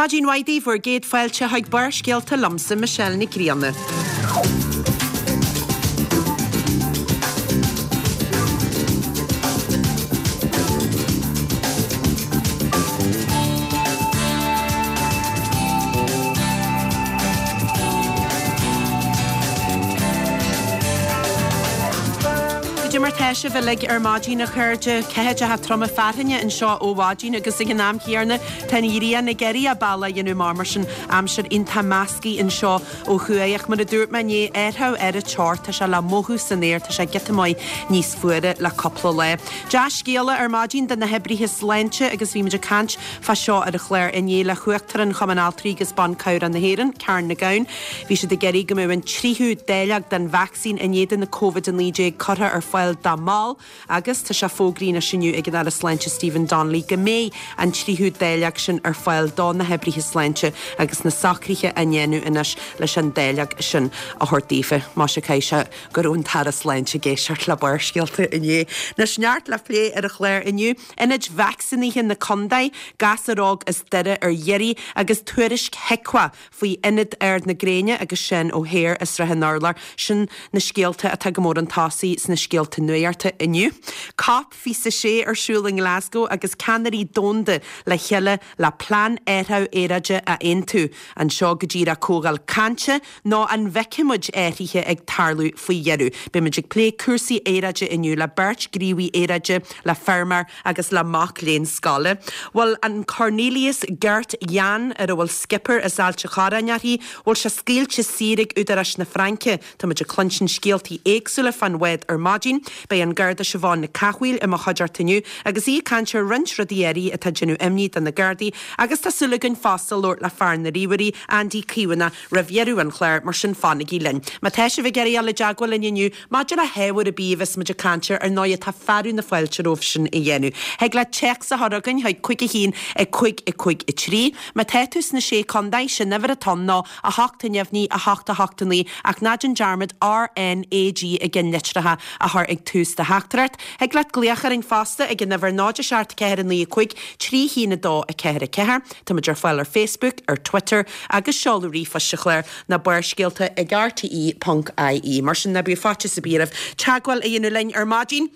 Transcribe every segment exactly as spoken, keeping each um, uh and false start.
Maidin mhaith daoibh, bhur gcéad fáilte chuig Barrscéalta liomsa Michelle Nic Grianna. Cad é mar tá sibh uilig ar maidin a chairde, ceathaideacha troma fearthainne anseo ó mhaidin agus ag an am chéanna tá an ghrian ag iarraidh a bealach a dhéanamh amach mar sin aimsir iontach measctha anseo ó thuaidh ach mar a dúirt mé inné athrú ar an teocht tá sé le mothú san aer tá sé giota maith níos fuaire le cúpla lá. Dea-scéala ar maidin do na hoibrithe sláinte agus bhí muid ag caint fá seo ar an chlár inné le hUachtarán Chumann Altraí agus Ban Cabhrach na hÉireann, Karen McGowan. Bhí siad ag iarraidh go mbeadh an tríú dáileog den vacsaín in éadan na Covid a naoi déag curtha ar fáil dá mbaill agus tá sé fógraithe anois inniu ag an Aire Sláinte Stephen Donnelly go mbeidh an tríú dáileog sin ar fáil do na hoibrithe sláinte agus na socruithe á ndéanamh anois leis an dáileog sin a thabhairt daofa. Más ea caithfidh sé go raibh an tAire Sláinte ag éisteacht le Barrscéalta inné. Anois neart le plé ar an chlár inniu, ionaid vacsaínithe na contae, gasúr óg as Doire ar iarraidh agus tuairisc HIQA faoi Ionad Ard na Gréine agus Seán O'Hare i Srath an Urláir. Sin na scéalta atá go mór chun tosaigh sna scéalta nuachta inniu. Cop fiche a sé ar siúl i nGlasgow agus ceannairí domhanda le chéile le plean athrú aeráide a aontú. An seo go díreach comhdháil cainte nó an bhfeicfidh muid athruithe ag tarlú faoi dheireadh. Beidh muid ag plé cúrsaí aeráide inniu le beirt ghníomhaí aeráide, le feirmeoir agus le mac léinn scoile. Bhfuil an Cornelius Gert Jan ar a bhfuil skipper as Ailt an Chorráin uirthi, bhfuil sé scaoilte saor ag údaráis na Fraince. Tá muid ag cluinstin scéaltaí éagsúla fán bhád ar maidin. Beidh an Garda Siobhán Nic Cathmhaoil i mo chuideachta inniu agus í ag caint ar roinnt rudaí áirithe atá ag déanamh imní do na Gardaí agus tá súil againn fosta labhairt le fear na ríomhairí, Andy Caomhánach, roimh dheireadh an chláir, mar sin fanaigí linn. Má tá sibh ag iarraidh dul i dteagmháil linn inniu maidir le hábhar ar bith a bheas muid ag caint air, ar ndóigh tá fearadh na fáilte romhaibh sin a dhéanamh. Thig leat téacs a chur chugainn chuig cúig a haon a cúig a cúig a trí. Má tá tú sna Sé Chontae, sin uimhir atá ann ná a hocht a neamhní a hocht a hocht a naoi ach ná déan dearmad RNAG i gceannlitreacha a chur ag tús do theachtaireacht. Thig leat glaoch orainn fosta ag an uimhir náid a seacht ceathair a naoi a cúig trí haon a dó a ceathair a ceathair. Tá muid ar fáil ar Facebook, ar Twitter agus seoladh ríomhphoist an chláir ná barrscéalta ag rte ponc ie. Mar sin ná bíodh faitíos ar bith oraibh teagmháil a dhéanamh linn ar maidin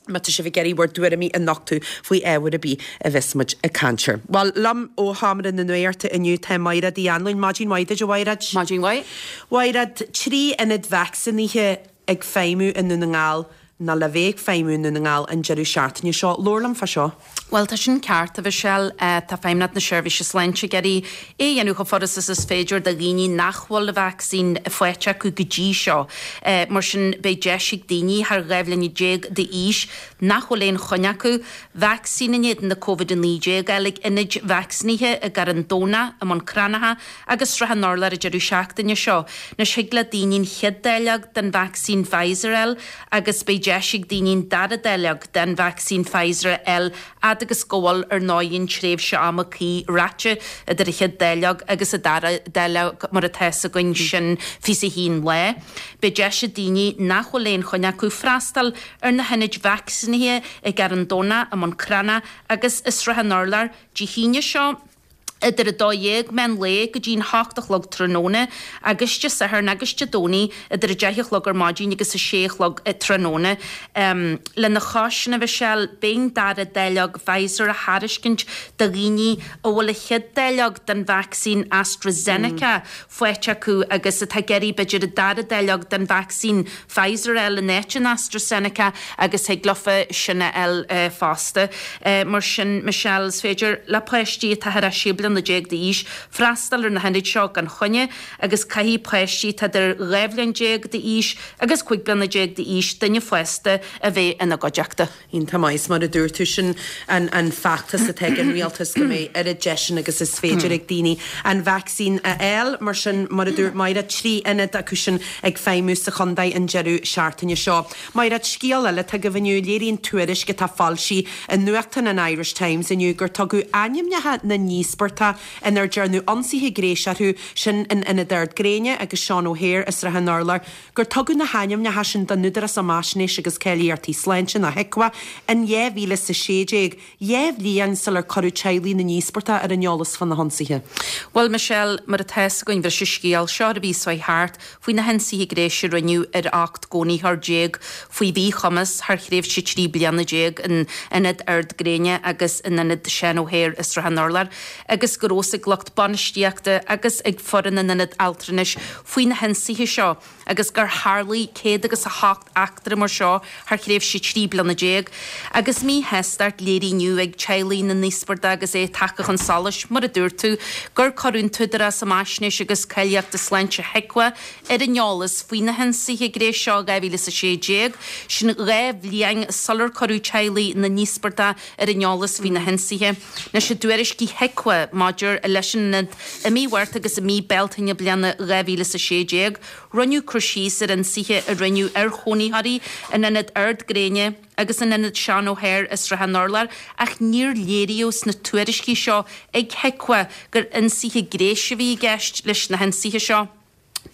má tá sibh ag iarraidh bhur dtuairimí a nochtadh faoi ábhar ar bith a bheas muid ag caint air. Bhuel, liom ó Sheomra na Nuachta inniu tá Maighread Uí Anluain. Maidin mhaith duit, a Mhaighread. Maidin mhaith. Mhaighread, trí ionad vacsaínithe ag feidhmiú i nDún na nGall nó le bheith ag feidhmiú i nDún na nGall an deireadh seachtaine seo. Labhair liom fá seo. Bhuel, tá sin ceart, a Mhichelle. Tá Feidhmeannacht na Seirbhíse Sláinte ag iarraidh é a dhéanamh chomh furasta is is féidir do dhaoine nach bhfuil an vacsaín faighte acu go dtí seo. Mar sin, beidh deis ag daoine thar dhá bhliain déag d'aois nach bhfuil aon choinne acu, vacsaín in éadan na Covid a naoi déag a fháil ag ionaid vacsaínithe i gCarn Domhnach, i mBun Cranncha agus Srath an Urláir an deireadh seachtaine seo. Anois, thig le daoine an chéad dáileog den vacsaín Pfizer a fháil agus beidh deis ag daoine an dara dáileog den vacsaín Pfizer a fháil fhad agus go bhfuil, ar ndóigh, an tréimhse ama cuí ráite idir an chéad dáileog agus an dara dáileog, mar atá fhios againn, sin fiche a haon lá. Beidh deis ag daoine nach bhfuil aon choinne acu freastal ar na hionaid vacsaínithe i gCarn Domhnach, i mBun Cranncha agus i Srath an Urláir Dé hAoine seo. idir a dó dhéag meán lae go dtí'n hocht a chlog tráthnóna agus Dé Sathairn agus Dé Domhnaigh idir a deich a chlog ar maidin agus a sé a chlog tráthnóna. Lena chois sin, a Mhichelle, beidh an dara dáileog Pfizer á thairiscint do dhaoine a bhfuil a chéad dáileog den vacsaín AstraZeneca faighte acu agus atá ag iarraidh b'fhéidir an dara dáileog den vacsaín Pfizer a fháil in áit an AstraZeneca agus thig leofa sin a fháil fosta. Mar sin, Michelle, is féidir le páistí atá thar sé bliana déag d'aois freastal ar na hionaid seo gan choinne agus caithfidh páistí atá idir dhá bhliain déag d'aois agus cúig bliana déag d'aois duine fásta a bheith ina gcuideachta. Iontach maith. Is mar a dúirt tú, sin an an feachtas atá ag an rialtas go mbeidh oiread deiseanna agus is féidir ag daoine an vacsaín a fháil. Mar sin, mar a dúirt Máire, trí ionad acu sin ag feidhmiú sa chontae an deireadh seachtaine seo. Máire, scéal eile atá agaibh inniu, léiríonn tuairisc atá foilsithe i nuachtán an Irish Times inniu gur tugadh ainmneacha na n-íospartach n-íospartach inar dearnadh ionsaithe gnéis orthu, sin in Ionad Ard Gréine agus Seán O'Hare i Srath an Urláir, gur tugadh na hainmneacha sin don Údarás um Fhaisnéis agus Cáilíochtaí Sláinte, nó HIQA, in dhá mhíle is a sé déag, dhá bhliain sular cuireadh teaghlaigh na n-íospartach ar an eolas fá na hionsaithe. Bhuel, Michelle, mar atá fhios againn bhris an scéal seo an mhí seo thart faoi na hionsaithe gnéis a rinneadh ar ocht gcónaitheoir déag faoi mhíchumas thar thréimhse trí bliana déag in Ionad Ard Gréine agus in Ionad Seán O'Hare i Srath an Urláir agus go raibh fhios ag lucht bainistíochta agus ag foireann an ionaid altranais faoi na hionsaithe seo agus gur tharlaigh céad agus a hocht eachtra mar seo thar thréimhse trí bliana déag agus míshástacht léirithe inniu ag teaghlaigh na n-íospartach agus é tagtha chun solais, mar a dúirt tú, gur cuireadh an tÚdarás um Fhaisnéis agus Cáilíochta Sláinte, HIQA, ar an eolas faoi na hionsaithe gnéis seo i dhá mhíle is a sé déag, sin dhá bhliain sular cuireadh teaghlaigh na n-íospartach ar an eolas faoi na hionsaithe. Anois i dtuairiscí HIQA maidir leis an ionad i mí Mhárta agus i mí Bealtaine bliana dhá mhíle is a sé déag, rinneadh cur síos ar ionsaithe a rinneadh ar chónaitheoirí in Ionad Ard Gréine agus in Ionad Seán O'Hare i Srath an Urláir ach níor léiríodh sna tuairiscí seo ag HIQA gur ionsaithe gnéis a bhí i gceist leis na hionsaithe seo.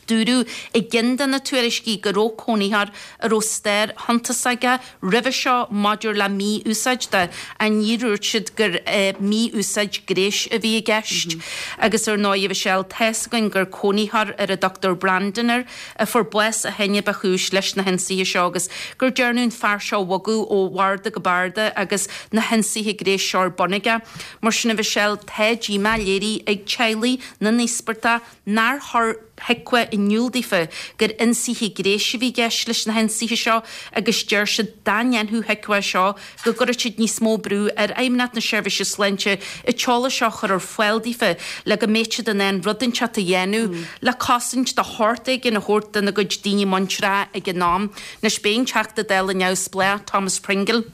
Dúradh i gceann de na tuairiscí go raibh cónaitheoir a raibh stair shuntasach aige roimhe seo maidir le mí-úsáid de ach níor dhúirt siad gur mí-úsáid gnéis a bhí i gceist. Agus ar ndóigh, a Mhichelle, tá's againn gur cónaitheoir ar a dtugtar Brandon air a fuair bás ó shin ba chúis leis na hionsaithe seo agus gur dearnadh an fear seo a bhogadh ó bharda go barda agus na hionsaithe gnéis seo ar bun aige. Mar sin, a Mhichelle, tá díomá léirithe ag teaghlaigh na n-íospartach nár chuir HIQA in iúl daofa gur ionsaithe gnéis a bhí i gceist leis na hionsaithe seo agus deir siad dá ndéanfadh HIQA seo go gcuirfeadh siad níos mó brú ar Fheidhmeannacht na Seirbhíse Sláinte an t-eolas seo a chur ar fáil daofa le go mbeadh siad in ann rud inteacht a dhéanamh le cosaint de shórt éigin a thabhairt dona gcuid daoine muinteartha ag an am. Anois b'é an Teachta Dála neamhspleách Thomas Pringle.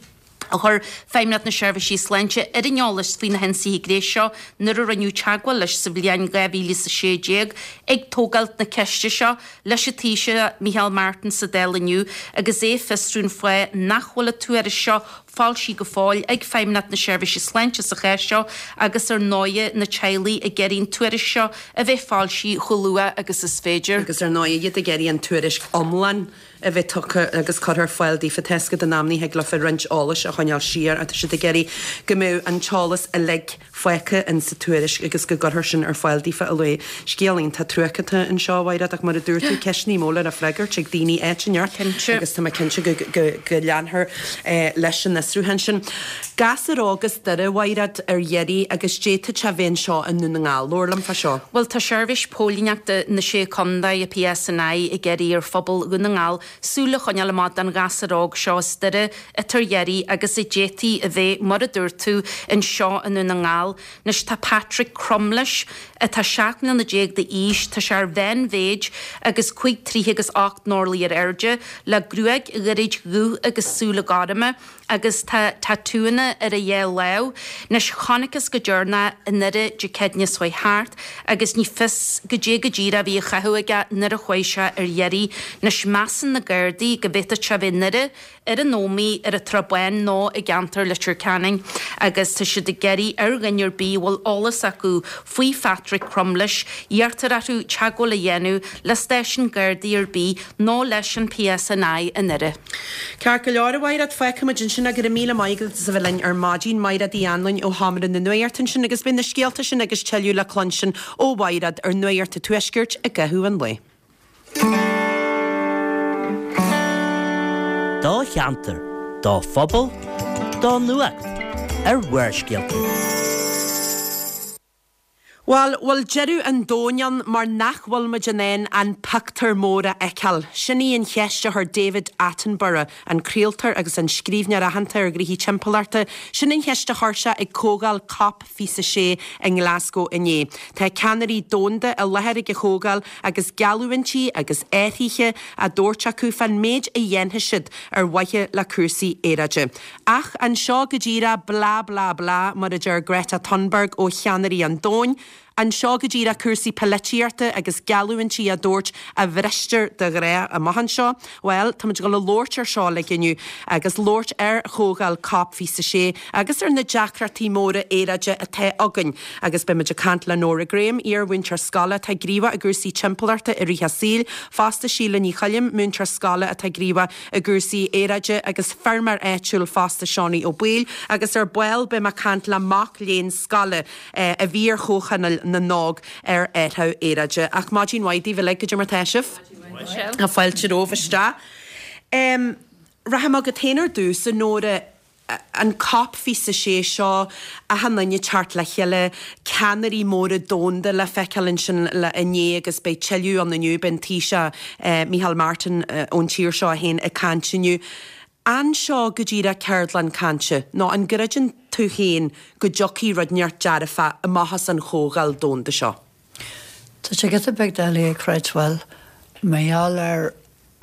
a chuir Feidhmeannacht na Seirbhísí Sláinte ar an eolas faoi na hionsaithe gnéis seo nuair a rinneadh teagmháil leis sa bhliain dhá mhíle is a sé déag ag tógáilt na ceiste seo leis an Taoiseach Micheál Martin sa Dáil inniu agus é ag fiosrú an fáth nach bhfuil an tuairisc seo foilsithe go fóill ag Feidhmeannacht na Seirbhíse Sláinte sa chás seo agus ar ndóighe na teaghlaigh ag iarraidh an tuairisc seo a bheith foilsithe chomh luath agus is féidir. Agus ar ndóighe iad ag iarraidh an tuairisc iomlán a bheith tugtha agus curtha ar fáil daofa. Tá fhios agat in amannaí thig leofa roinnt eolais a choinneáil siar ach tá siad ag iarraidh go mbeadh an t-eolas uilig fágtha in sa tuairisc agus go gcuirfear sin ar fáil daofa a luaithe. Scéal iontach truaic atá anseo, a Mhaighread, ach mar a dúirt tú, ceisteanna móra le freagairt ag daoine áit inteacht agus tá mé cinnte go go go leanfar leis an fhiosrúchán sin. Gasúr óg as Doire, a Mhaighread, ar iarraidh agus d'fhéadfadh sé a bheith anseo i nDún na nGall. Labhair liom fá seo. Bhuel, tá Seirbhís Póilíneachta na Sé Chontae, an PSNI, ag iarraidh ar phobal Dhún na nGall súil a choinneáil amach don ghasúr óg seo as Doire atá ar iarraidh agus a d'fhéadfaí a bheith, mar a dúirt tú, anseo i nDún na nGall. Anois tá Patrick Crumlish, atá seacht mbliana déag d'aois, tá sé ar mheánmhéid agus cúig troithe agus ocht n-orlaí ar airde, le gruaig ghairid dhubh agus súile gorma agus tá tatúanna ar a dhá lámh. Anois chonacthas go deireanach i nDoire Dé Céadaoine seo chuaigh thart agus ní fios goidé go díreach a bhí á chaitheamh aige nuair a chuaigh sé ar iarraidh. Anois measann na Gardaí go bhféadfadh sé a bheith i nDoire, ar an Ómaigh, ar an tSrath Bán nó i gceantar Leitir Ceanainn agus tá siad ag iarraidh ar dhuine ar bith a bhfuil eolas acu faoi Phatrick Crumlish, iarrtar orthu teagmháil a dhéanamh le stáisiún Gardaí ar bith nó leis an PSNI i nDoire. Ceart go leor, a Mhaighread, fágfaimid ansin é. Go raibh míle maith agat as a bheith linn ar maidin. Maighread Uí Anluain ó Sheomra na Nuachta ansin agus beidh na scéalta sin agus tuilleadh le cluinstin ó Mhaighread ar Nuacht an Tuaiscirt i gcaitheamh an lae. Do cheantar, do phobal, do nuacht ar Bharrscéalta. Bhuel, bhfuil deireadh an domhain ann mar nach bhfuil muid in ann an pictiúr mór a fheiceáil? Sin í an cheist a chuir David Attenborough, an craoltóir agus an scríbhneoir aitheanta ar ghnoithí timpeallachta, sin an cheist a chuir sé ag comhdháil Cop fiche a sé i nGlasgow inné. Tá ceannairí domhanda i láthair ag an chomhdháil agus geallúintí agus athruithe á dtabhairt acu fán méid a dhéanfaidh siad ar mhaithe le cúrsaí aeráide. Ach anseo go díreach blah blah blah mar a deir Greta Thunberg ó cheannairí an domhain, An seo go díreach cúrsaí polaitíochta agus geallúintí á dtabhairt a bhristear de ghnáth amach anseo? Bhuel, táimid ag dul a labhairt ar seo uilig inniu agus labhairt ar chomhdháil Cop fiche sé agus ar na deacrachtaí móra aeráide atá againn. Agus beimid ag caint le Nóra Graham, iar-mhúinteoir scoile atá gníomhach i gcúrsaí timpeallachta i rith a saoil, fosta Síle Ní Choilm, múinteoir scoile atá gníomhach i gcúrsaí aeráide agus feirmeoir áitiúil fosta Seánie Ó Baoill, agus ar ball beidh mé ag caint le mac léinn scoile a bhí ar Chomhthionól na nÓg ar athrú aeráide. Ach maidin mhaith daoibh uilig, goidé mar tá sibh? Tá fáilte romhaibh isteach. Um, Rachaidh mé chugat féin ar dtús, a Nóra, an Cop fiche sé seo, achan duine teacht le chéile, ceannairí móra domhanda le feiceáil ansin le inné agus beidh tuilleadh ann inniu, beidh an Taoiseach eh, Micheál Martin eh, ón tír seo féin ag caint inniu. An seo go díreach ceardlann cainte, nó an gcreideann tú féin go dtiocfaidh rud inteacht dearfach amach as an chomhdháil domhanda seo? Tá sé giota beag doiligh a chreidbheáil mar gheall ar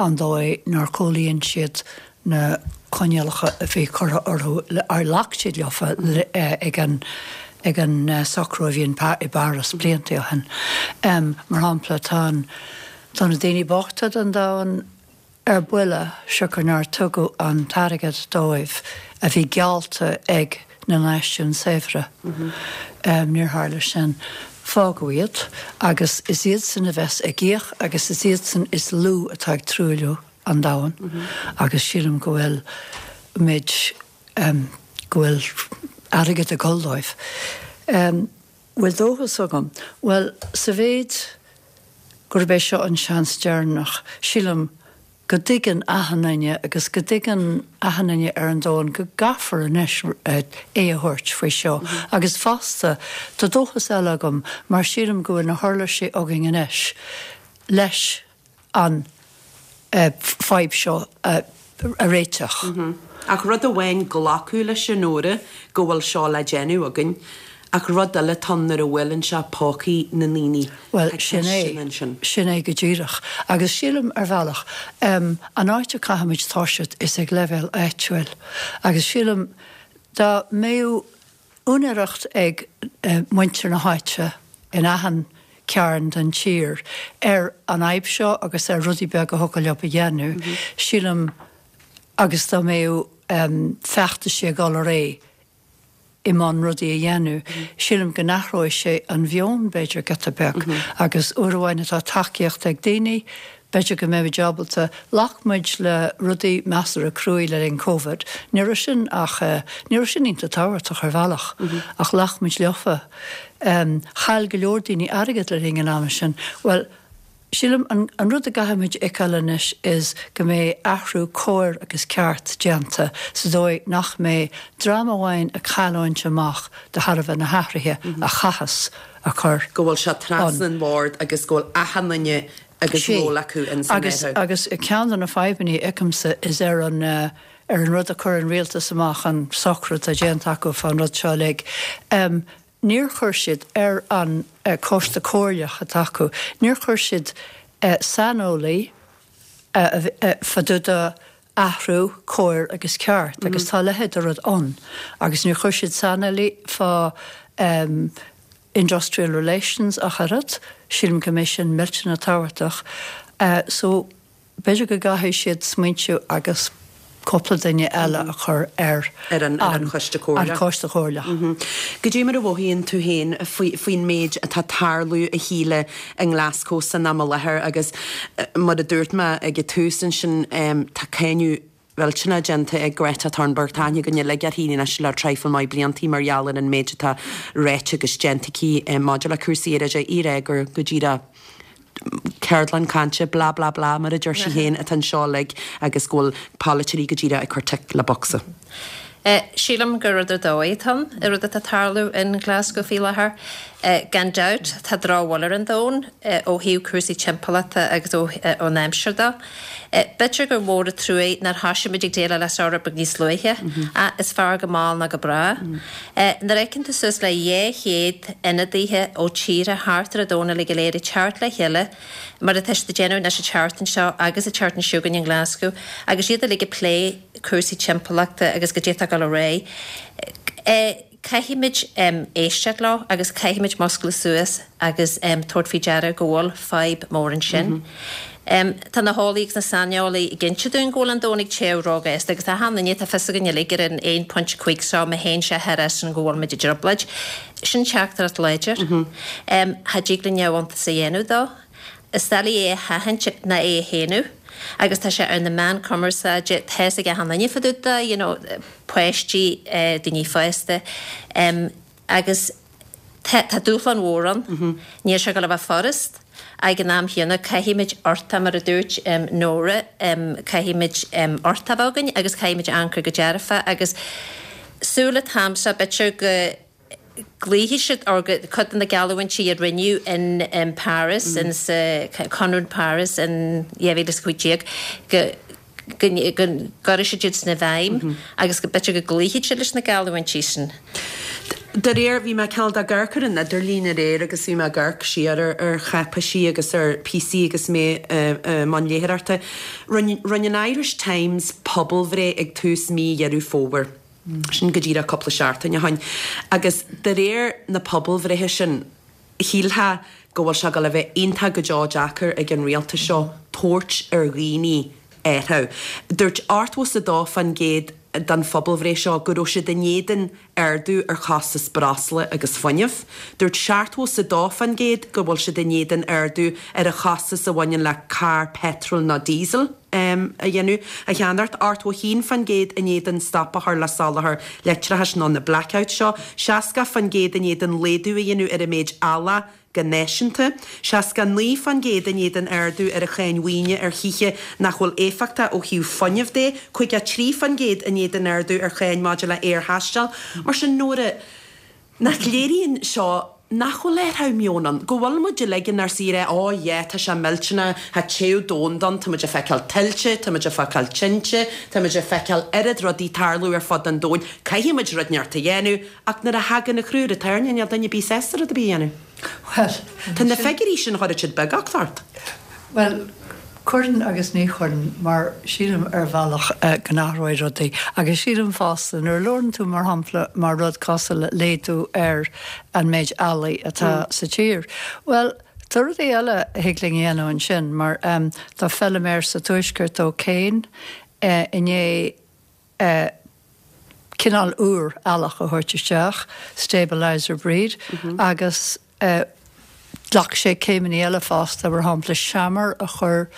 an dóigh nár chomhlíon siad na coinníollacha a bhí curtha orthu ar ghlac siad leofa ag an ag an socrú a bhí i bPáras blianta ó shin. Um, mar shampla tá tá na daoine bochta den domhan ar buile siocair nár tugadh an t-airgead dóibh a bhí geallta ag na náisiúin saibhre. Mm -hmm. um, níor tharla sin. Fágadh iad agus is iad san a bheas ag íoc agus is iad san is lú atá ag truailliú an domhan mm -hmm. agus sílim go bhfuil muid um, go bhfuil airgead ag dul dóibh. Um, bhfuil dóchas agam, Well sa mhéid gurb é seo an seans deireanach sílim go dtuigeann achan duine agus go dtuigeann achan duine ar an domhan go gcaithfear anois é a thabhairt faoi seo. Mm -hmm. Agus fosta tá dóchas eile agam mar sílim go bhfuil na huirlisí againn anois leis an uh, fadhb seo uh, a réiteach. Mm -hmm. Ach rud amháin glacadh leis an Nóra go bhfuil seo le déanamh againn, ach rud eile atá nuair a bhfuil sé i bpócaí na ndaoine. Well sin é sin é go díreach. Agus sílim ar bhealach um, an áit a gcaithfimid toiseacht is ag leibhéal áitiúil. Agus sílim dá mbeadh úinéireacht ag uh, muintir na háite in achan cearn den tír ar an fhadhb seo agus ar rudaí beaga a thiocfadh leo a dhéanamh, mm -hmm. sílim agus dá mbeadh um, feachtais ag dul ar aghaidh i mbun rudaí a dhéanamh. Sílim go n-athróidh sé an meon b'fhéidir giota beag mm -hmm. agus uair amháin atá tacaíocht ag daoine, b'fhéidir go mbeidh ábalta ghlac muid le rudaí measartha cruaidh le linn COVID. Ní raibh sin ach uh, ní raibh sin iontach tábhachtach ar bhealach mm -hmm. ach ghlac muid leofa. Um, Chaill go leor daoine airgead le linn an ama sin. Well, Sílim an, an rud a gcaithfimid a fheiceáil anois is go mbeidh athrú cóir agus ceart déanta sa dóigh nach mbeidh dream amháin ag cailliúint amach de thairbhe na hathruithe mm -hmm. a chaithfeas a chur. Go bhfuil sé trasna an bhord agus go bhfuil achan duine agus ról acu in agus agus ceann de na fadhbanna agamsa is ar an uh, ar an rud a chuir an rialtas amach an socrú atá déanta acu fan rud seo like. Um, Níor chuir siad ar an uh, coiste comhairleach atá acu, níor chuir siad uh, saineolaí uh, uh, fá dtaobh d'athrú cóir agus ceart, mm -hmm. agus tá leithéid de rud ann. Agus níor chuir siad saineolaí fá um, industrial relations ach oiread, sílim go mbeidh sin millteanach tábhachtach. Uh, so b'fhéidir go gcaithfidh siad smaointiú agus cúpla duine eile a chur ar ar an, ar an choiste comhairleach. An choiste comhairleach. Mm -hmm. Goidé mar a mhothaíonn tú féin faoin méid atá ag tarlú a Shíle i nGlasgow san am i láthair agus mar a dúirt mé ag an tús ansin um, tá cáineadh millteanach déanta ag Greta Thunberg tá aithne againn uilig uirthi anois le traidhfil maith bliantaí mar gheall ar an méid atá ráite agus déanta aici maidir le cúrsaí aeráide í ag rá gur go díreach ceardlann cainte bla bla bla mar a deir sí féin atá anseo uilig agus go bhfuil polaiteoirí go díreach ag cur tic le bocsa. Uh, sílim gur rud ar dóigh atá ann an rud atá ag tarlú in Glasgow faoi láthair. Uh, gan dabht tá drochbhail ar an domhan uh, ó thaobh cúrsaí timpeallachta agus ó, uh, ón aimsir de. Uh, B'fhéidir gur mhór an trua nár thosaigh muid ag déileáil leis seo beag níos luaithe, mm -hmm. uh, is fearr go mall ná go bráth. Mm -hmm. uh, Nuair a fheiceann tú suas le dhá chéad ionadaithe ó tíortha thart ar an domhan uilig go léir ag teacht le chéile, mar atá siad ag déanamh anois an tseachtain seo agus an tseachtain seo chugainn in Glasgow, agus iad uilig ag plé cúrsaí timpeallachta agus goidé atá ag dul ar aghaidh. caithfimid éisteacht leo agus caithfimid muscladh suas agus tabhairt faoi deara go bhfuil fadhb mór ansin. Tá na heolaí agus na saineolaí ag inse dúinn go bhfuil an domhan ag téamh róghasta agus tá achan duine, tá fios againn uilig ar an aon pointe cúig seo, má théann sé thar sin go bhfuil muid i dtrioblóid. Sin teachtaireacht láidir. Cha dtig linn neamhiontas a dhéanamh dó. Is doiligh é a sheachaint ná é a shéanadh agus tá sé ar na meáin cumarsáide, tá fhios ag achan duine fá dtaobh de, you know, páistí, daoine fásta agus tá tá dúshlán mhór ann. Níl sé ag dul a bheith furast. Ag an am chéanna caithfimid uchtach, mar a dúirt Nóra, caithfimid uchtach a bheith againn agus caithfimid amharc go dearfa agus súil an t-am seo b'fhéidir go gcloífidh siad or go cuid de na geallúintí a rinneadh in in Paris in sa Conradh Paris in dhá mhíle is a cúig déag go go go gcuirfidh siad iad sin i bhfeidhm agus go b'fhéidir go gcloífidh siad leis na geallúintí sin. De réir, bhí mé cineál ag amharc ar an idirlíon aréir agus bhí mé ag amharc siar ar ar cháipeisí agus ar píosaí agus mé i mbun léitheoireachta. Rinne rinne an Irish Times pobalbhreith ag tús mí Dheireadh Fómhair. Sin go díreach cúpla seachtain ó shoin. Agus de réir na pobalbhreithe sin, shílfeá go bhfuil sé ag dul a bheith iontach go deo deacair ag an rialtas seo tabhairt ar dhaoine athrú. Dúirt ochtó is a dó fán gcéad den phobalbhreith seo go raibh siad in éadan ardú ar chostas breosla agus fuinnimh. Dúirt seachtó is a dó fán gcéad go bhfuil siad in éadan ardú ar an chostas a bhaineann le carr peitril nó diesel a dhéanamh a cheannacht, ochtó a haon fán gcéad in éadan stop a chur le soláthar leictreachais nó na blackouts seo, seasca fán gcéad in éadan laghdú a dhéanamh ar an méid eallach go náisiúnta, seasca a naoi fán gcéad in éadan ardú ar an cháin mhaoine ar thithe nach bhfuil éifeachtach ó thaobh fuinnimh de, caoga a trí fán gcéad in éadan ardú ar cháin maidir le haerthaisteal. Mar sin, Nóra, nach léiríonn seo nach bhfuil athrú meoin ann, go bhfuil muid uilig inár suí ag rá, oh yeah, tá sé millteanach, tá téamh domhanda ann, tá muid ag feiceáil tuilte, tá muid ag feiceáil tinte, tá muid ag feiceáil oiread rudaí tarlú ar fud an domhain, caithfidh muid rud inteacht a dhéanamh, ach nuair a thagann an crú ar an tairne, níl duine ar bith sásta rud ar bith a dhéanamh. Bhuel, Tá na figiúirí sin, chuirfeadh siad beagácht ort. Bhuel, cuireann agus ní chuireann, mar sílim ar bhealach go n-athróidh rudaí. Agus sílim fosta, nuair a labhrann tú mar shampla mar rud cosúil le laghdú ar an méid eallaigh atá sa tír, bhuel, tá rudaí eile a thig linn a dhéanamh ansin, mar tá feilméar sa Tuaisceart ó Kane i ndiaidh cineál úr eallach a thabhairt isteach, stabiliser breed, agus ghlac sé céimeanna eile fosta, mar shampla seamair a chur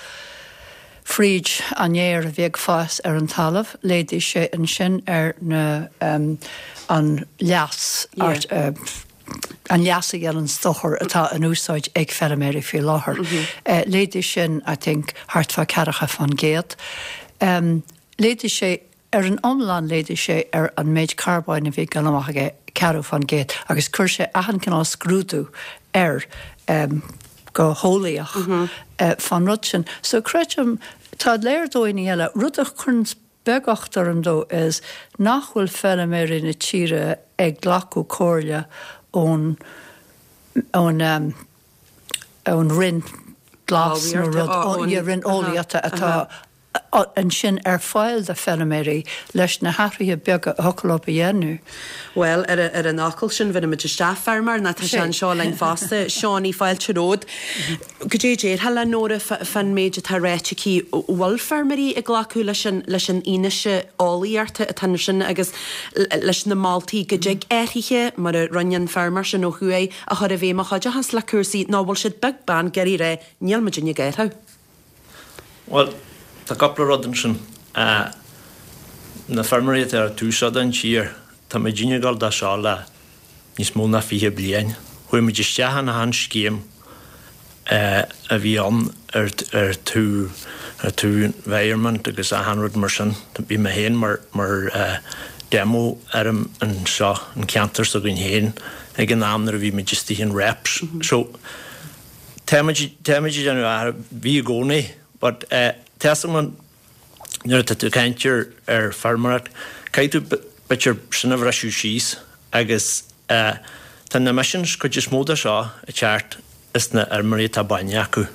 fríd an fhéar a bhí ag fás ar an talamh, laghdaigh sé ansin ar na an leas an leas a dhéanann dochar atá in úsáid ag feilméaraí faoi láthair. Laghdaigh sin, I think, thart fá ceathracha fán gcéad. Laghdaigh sé Ar an iomlán laghdaigh sé ar an méid carbóin a bhí ag dul amach aige ceathrú fán gcéad agus chuir sé achan cineál scrúdú air go heolaíoch fán rud sin. So creidim, tá léir dóigheanna eile. Rud a chuireann beagácht orm dó is nach bhfuil feilméaraí na tíre ag glacadh comhairle ón ón ón Roinn Glas nó rud, Roinn Eolaíochta atá ansin ar fáil do feilméaraí leis na hathruithe beaga a thiocfadh leo a dhéanamh. Bhuel, ar an fhocal sin, bhéarfaidh muid isteach feirmeoir, nó tá sé anseo linn fosta. Seánie, fáilte romhat. Goidé a déarfá le Nóra fán méid atá ráite aici? Bhfuil feirmeoirí ag glacadh leis an leis an fhianaise eolaíochta atá ansin agus leis na moltaí go dtig athruithe, mar a rinne an feirmeoir sin ó thuaidh, a chur i bhfeidhm a chuideochas le cúrsaí, nó bhfuil siad beag beann ag iarraidh a rá, níl muid ag athrú? Bhuel, tá cúpla rud ansin. Na feirmeoirí atá ar an taobh seo den tír, tá muidinne ag gabháil dó seo le níos mó ná fiche bliain. Chuaigh muid isteach in achan scéim a bhí ann ar ar taobh ar taobh environment agus achan rud mar sin. Bhí mé féin mar mar demo fheirm anseo, an ceantar s'againn féin ag an am nuair a bhí muid istigh in REPS. So, táimid táimid ag déanamh athrú, bhí i gcónaí. But eh tá a fhios agam nuair atá tú ag caint ar ar feirmeoireacht, caithfidh tú b'fhéidir sin a bhriseadh síos agus eh tá na emissions cuid is mó de seo ag teacht as na fheirmeoirí atá bainne acu.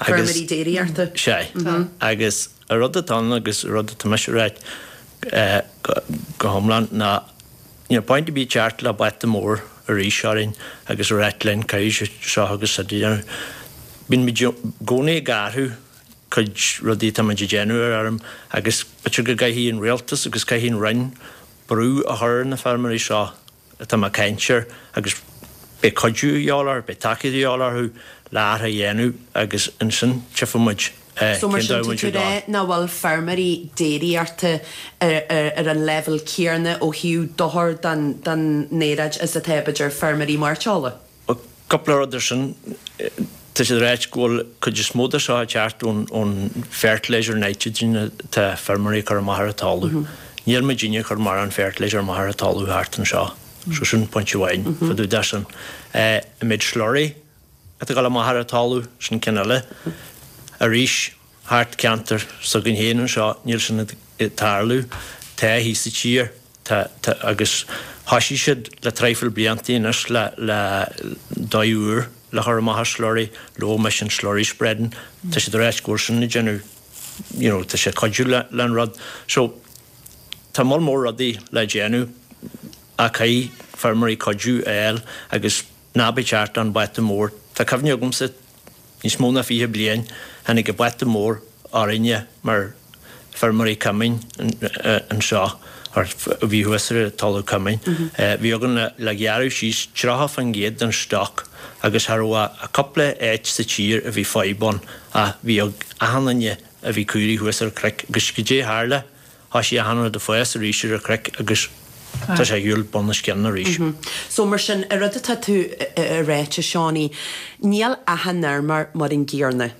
Agus Feirmeoirí déiríochta. Sea. Agus an rud atá ann agus an rud atá mise a ráit eh go go hiomlán ná Níl point ar bith teacht le bata mór arís orainn agus a ráit linn caithfidh seo agus siúd a dhéanamh. Bíonn muid i gcónaí ag athrú cuid rudaí atá muid ag déanamh ar fheirm agus b'fhéidir go gcaithfidh an rialtas agus caithfidh an Roinn brú a chur ar na feirmeoirí seo atá mé ag caint air agus beidh cuidiú a dhíobháil orthu, beidh tacaíocht a dhíobháil orthu le athrú a dhéanamh agus ansin tchífidh muid So mar cén sin dóigh tá muid tú ag ag rá dul. nach bhfuil feirmeoirí déiríochta ar an leibhéal céanna ó thaobh dochar don don aeráid is atá b'fhéidir feirmeoirí mairteola? Bhuel, cúpla rud ar sin. Tá siad ag ráit go bhfuil cuid is mó de seo ag teacht ón ón fertilizer nitrogen atá feirmeoirí ag cur amach ar an talamh. Níl muidinne ag cur mórán fertilizer amach ar an talamh thart anseo. So sin pointe amháin fá dtaobh de sin. An méid slurry atá ag dul amach ar an talamh, sin ceann eile. Arís, thart ceantar s'againn féin anseo, níl sin ag tarlú. Tá thíos sa tír, tá, tá, agus thoisigh siad le traidhfil bliantaí anois le, le dóigh úr le chur amach ar slurry, low emission slurry spreading. Tá siad ag ráit go bhfuil sin ag déanamh, you know, tá sé ag cuidiú le, le an rud. So, tá moll mór rudaí le déanamh ach caithfidh feirmeoirí cuidiú a fháil agus ná bí ag teacht an bata mór. Tá cuimhne agamsa níos mó ná fiche bliain, tháinig an bata mór orainne mar feirmeoirí cumainn anseo, or a bhí thuas ar an talamh cumainn. Bhí againn le gearradh síos tríocha faoin gcéad den stoc agus cha raibh ach cúpla áit sa tír a bhí fadhb ann ach bhí ag achan duine a bhí caoirigh thuas ar an chnoic agus goidé a tharla? Thoisigh achan rud ag fás arís ar an chnoic agus tá sé ar shiúl bun os cionn arís. So mar sin, an rud atá tú a ráit, a Seánie, níl achan fheirmeoir mar an gcéanna.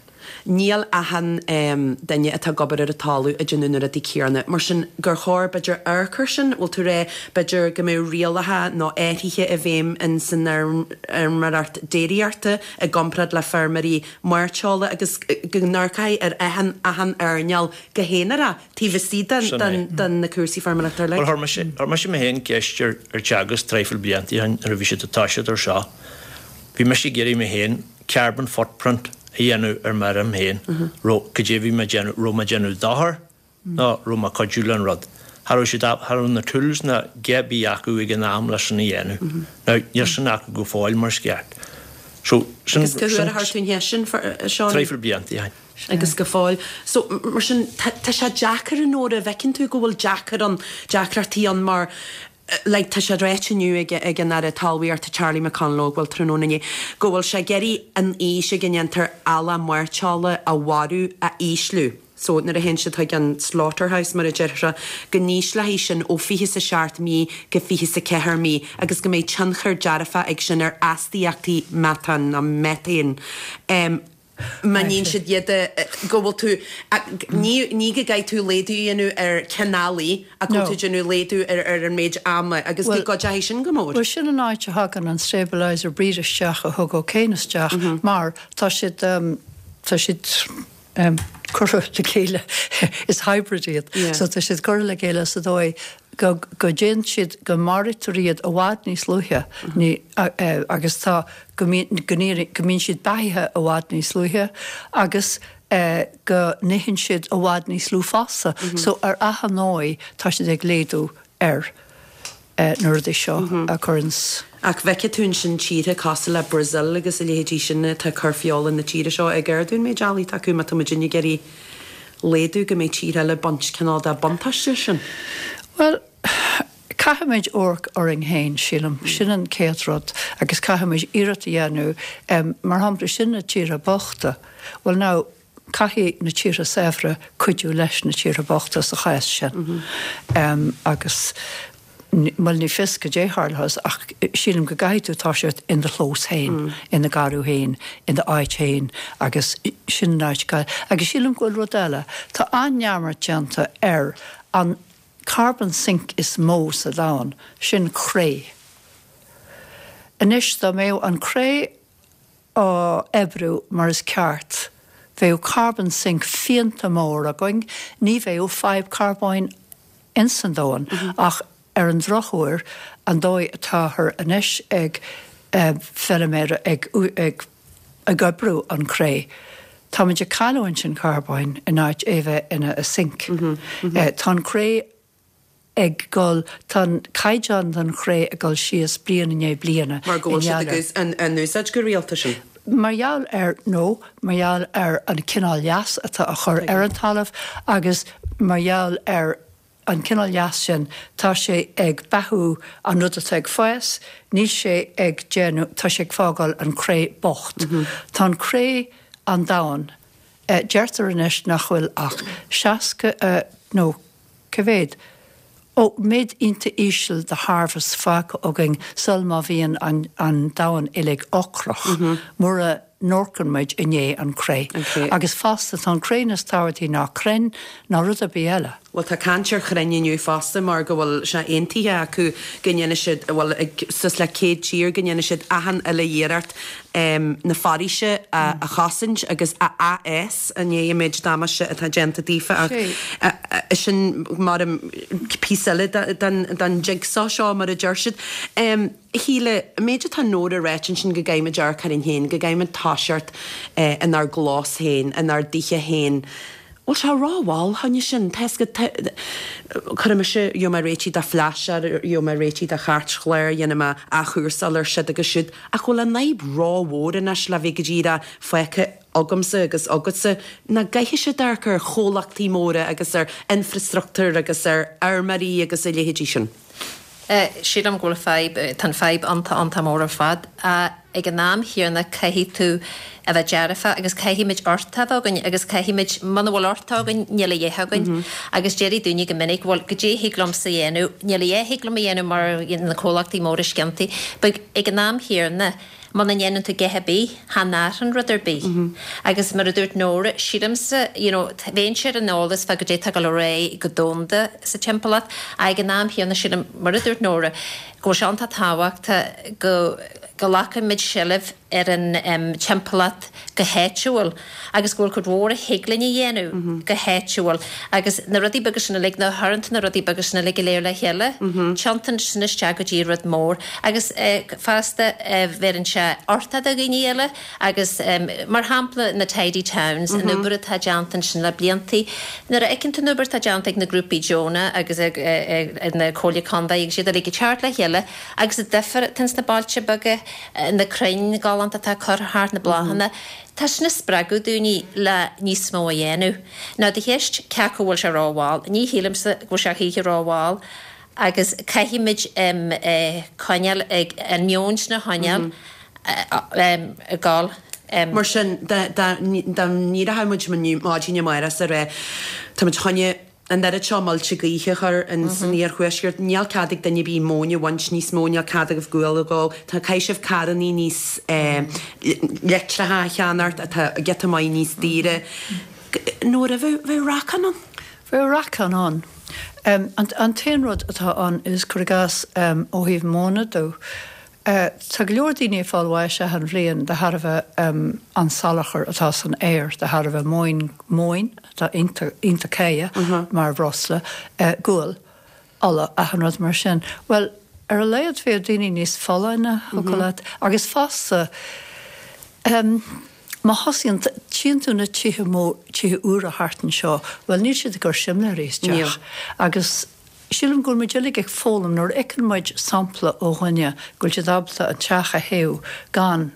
Níl achan duine atá ag obair ar an talamh ag déanamh na rudaí céanna. Mar sin, gur chóir, b'fhéidir, amharc air sin, bhfuil tú ag rá, b'fhéidir, go mbeadh rialacha nó athruithe i bhfeidhm in san fheirmeoireacht déiríochta i gcomparáid le feirmeoirí mairteola agus go n-amharcfaí ar achan achan earnáil go haonarach taobh istigh den Sin é. den den na cúrsaí feirmeoireachta Bhuel, uilig. chuir mise, chuir mise mé féin ceist ar ar Teagasc traidhfil blianta ó shin nuair a bhí siad ag toiseacht ar seo. Bhí mise ag iarraidh mé féin carbon footprint a dhéanamh ar m'fheirm féin. Raibh, cad é a bhí mé ag déanamh, raibh mé ag déanamh dochar nó raibh mé ag cuidiú le an rud. Cha raibh siad, cha raibh na tools ná a dhath ar bith acu ag an am leis sin a dhéanamh. Now, níl sin acu go fóill mar is ceart. So, sin, Agus cá sin huair a chuir tú an cheist sin, a Seánie? traidhfil blianta ó shin. Agus go fóill. So, mar sin, tá tá sé deacair an uair a bhfeiceann tú go bhfuil deacair ann, deacrachtaí ann mar like tá sé ráite inniu ag ag an Aire Talmhaíochta Charlie McConalogue, bhuel tráthnóna inné, go bhfuil sé ag iarraidh an aois ag a ndéantar eallach mairteola a mharú a ísliú. So nuair a théann siad chuig an slaughterhouse mar a deirtear, go n-ísleoidh sin ó fiche is a seacht mí go fiche is a ceathair mí agus go mbeidh tionchar dearfach ag sin ar astaíochtaí meatán nó methane. Um, má níonn siad iad go bhfuil tú ní ní go gcaithfidh tú laghdú a dhéanamh ar cineálaí ach go bhfuil tú déanamh laghdú ar ar an méid ama agus go gcuideoidh sin go mór. Well sin an áit a thagann an stabilizer breed isteach a thug O'Kane isteach mar tá siad um, tá siad um, curtha le chéile is hybrid iad. Yeah. So tá siad curtha le chéile sa dóigh go go dtéann siad go maraítear iad i bhfad níos luaithe ní uh, agus tá go mbíonn go mbíonn go mbíonn siad beathaithe i bhfad níos luaithe agus uh, go n-itheann siad i bhfad níos lú fosta. Mm -hmm. So ar achan ndóigh tá siad ag laghdú ar uh, na rudaí seo mm -hmm. a chuireanns Ach bhfeicfidh tú ansin tíortha cosúil le Brazil agus a leithéidí sin atá cur feola na tíre seo ag ardú an méid eallaigh atá acu má tá muid ag iarraidh laghdú go mbeidh tíortha eile ag baint cineál de buntáiste sin. Well, caithfimid amharc orainn féin sílim sin an chéad rud agus caithfimid iarracht a dhéanamh um, mar shampla sin na tíortha bochta. Well now caithfidh na tíortha saibhre cuidiú leis na tíortha bochta sa chás sin. Mm -hmm. um, agus Well ní fios goidé a tharlós ach sílim go gcaithfidh tú toiseacht in do chlós féin, mm. in do gharraí féin, in d'áit féin agus sin áit agus sílim go bhfuil rud eile, Tá an-neamart déanta ar an carbon sink is mó sa domhan, sin cré. Anois dá mbeadh an cré á oibriú mar is ceart, bheadh carbon sink fiánta mór againn, ní bheadh fadhb carbóin ins an domhan mm -hmm. ach ar an drochuair an dóigh atáthar anois ag uh, feilméara ag, ag, ag oibriú an cré. Táimid ag cailliúint an carbóin in áit é bheith ina a sink. Mm -hmm. mm -hmm. uh, tá an cré ag dul, tá an caighdeán den chré ag dul síos bliain i ndiaidh bliana. Mar go bhfuil siad ag an úsáid go rialta sin? Mar gheall ar, nó mar gheall ar an cineál leas atá á chur ar an talamh agus mar gheall ar an cineál leas sin, tá sé ag beathú an rud atá ag fás, níl sé ag déanamh, tá sé ag fágáil an cré bocht. Tá an cré an-domhain. Deirtear anois nach bhfuil ach seasca nó cá mhéad? Ó, méid iontach íseal de harvest fágtha againn sul má bhíonn an an domhan uilig ocrach, mura n-amharcann muid i ndiaidh an cré. Agus fosta, tá an cré níos tábhachtaí ná crainn ná rud ar bith eile. Bhuel, tá caint ar chrainn inniu fosta mar go bhfuil sé aontaithe acu go ndéanfaidh siad, bhuel, ag suas le céad tír, go ndéanfaidh siad achan uile iarracht na foraoise a chosaint agus a athfhás i ndiaidh an méid damáiste atá déanta daofa ach sin mar píosa eile den jigsaw seo mar a deir siad. A Shíle, an méid atá Nóra a ráit ansin go gcaithfimid amharc orainn féin, go gcaithfimid toiseacht inár gclós féin, inár dtithe féin, bhfuil sé rómhall fá choinne sin? Tá fhios agat, cuirfidh mise, gheobhaidh mé réitithe do phlaisteach, gheobhaidh mé réitithe do chairtchlár, dhéanfaidh mé athchúrsáil ar siod agus siúd, ach bhfuil an fhadhb rómhór anois le bheith go díreach fágtha agamsa agus agatsa, nach gcaithfidh siad amharc ar chomhlachtaí móra agus ar infreastruchtúr agus ar fheirmeoirí agus a leithéidí sin? Sílim go bhfuil fadhb, tá an fadhb iontach iontach mór ar fad. Ag an am chéanna caithfidh tú a bheith dearfach agus caithfimid uchtach a bheith againn agus caithfimid, muna bhfuil uchtach againn níl a dhath againn. Agus déarfaidh daoine go minic bhuel goidé thig liomsa a dhéanamh, níl a dhath thig liom a dhéanamh mar na comhlachtaí móra sciontaí. But ag an am chéanna muna ndéanann tú a dhath ar bith, chan athraíonn rud ar bith. Agus mar a dúirt Nóra, sílimse, you know, bheinnse ar an eolas fá goidé atá ag dul ar aghaidh go domhanda sa timpeallacht, ach ag an am chéanna sílim, mar a dúirt Nóra, go bhfuil sé iontach tábhachtach go nglacfaimid seilbh ar an timpeallacht go háitiúil agus go bhfuil cuid mhór a thig linn a dhéanamh go háitiúil agus na rudaí beaga sin uilig, nuair a chuireann tú na rudaí beaga sin uilig go léir le chéile, tiontaíonn sin isteach go dtí rud mór agus fosta bheireann sé uchtach do dhaoine eile agus mar shampla na Tidy Towns, an obair atá déanta ansin le bliantaí. Nuair a fheiceann tú an obair atá déanta ag na grúpaí deonacha agus ag na Comhairle Contae agus iad uilig ag teacht le chéile agus an difear atá ins na bailte beaga, na crainn galánta atá curtha thart, na bláthanna, tá sin ag spreagadh daoine le níos mó a dhéanamh. Now do cheist cé acu bhfuil sé rómhall, ní shílimse go bhfuil sé choíche rómhall agus caithfimid coinneáil ag an meon sin a choinneáil ag gabháil. Mar sin, dá n-éireodh muid maidin amárach is a rá, tá muid chun an oiread seo muilte gaoithe a chur in san iarthuaisceart, níl cead ag duine ar bith móin a bhaint níos mó, níl cead agaibh gual a dhó, tá, caithfidh sibh carrannaí níos leictreacha a cheannacht atá giota maith níos daoire. Nóra, bheadh racán ann? Bheadh racán ann. An t-aon rud atá ann is, cuir i gcás, ó thaobh móna de, tá go leor daoine ag fáil bháis achan bhliain de thairbhe an salachar atá san aer, de thairbhe móin, móin atá iontach cáidhe mar bhreosla, gual, ola, achan rud mar sin. Bhuel, ar a laghad bheadh daoine níos folláine, thiocfadh leat, agus fosta, má thosaíonn, tchíonn tú na tithe mó, tithe úra thart anseo, bhuel níl siad ag cur simléirí isteach. Agus sílim go bhfuil muid uilig ag foghlaim nuair a fheiceann muid sampla ó dhuine go bhfuil siad ábalta an teach a théamh gan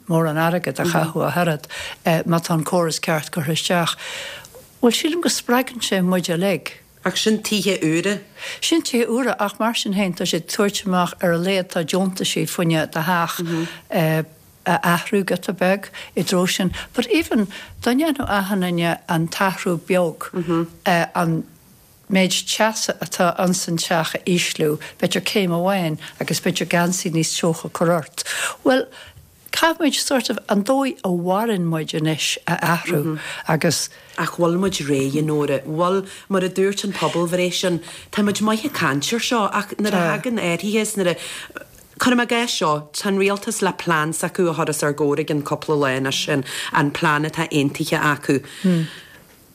mórán airgead a chaitheamh ach oiread, má tá an córas ceart curtha isteach. Bhuel sílim go spreagann sé muid uilig. Ach sin tithe úra. Sin tithe úra ach mar sin féin tá siad ag tabhairt amach ar a laghad tá deontaisí fá choinne do theach a athrú giota beag i dtreo sin. But even dá ndéanfadh achan duine an t-athrú beag, an méid teasa atá ins an teach a ísliú, b'fhéidir céim amháin agus b'fhéidir geansaí níos teocha a chur ort. Bhuel, caithfimid sort of an dóigh a mhaireann muid anois a athrú agus. Ach bhfuil muid réidh, a Nóra? Bhfuil, mar a dúirt an pobalbhreith sin, tá muid maith ag caint ar seo ach nuair a thagann athruithe is nuair a, cuirim i gcás seo, tá an rialtas le plean s'acu a chur os ár gcomhair i gcionn cúpla lá anois, an plean atá aontaithe acu.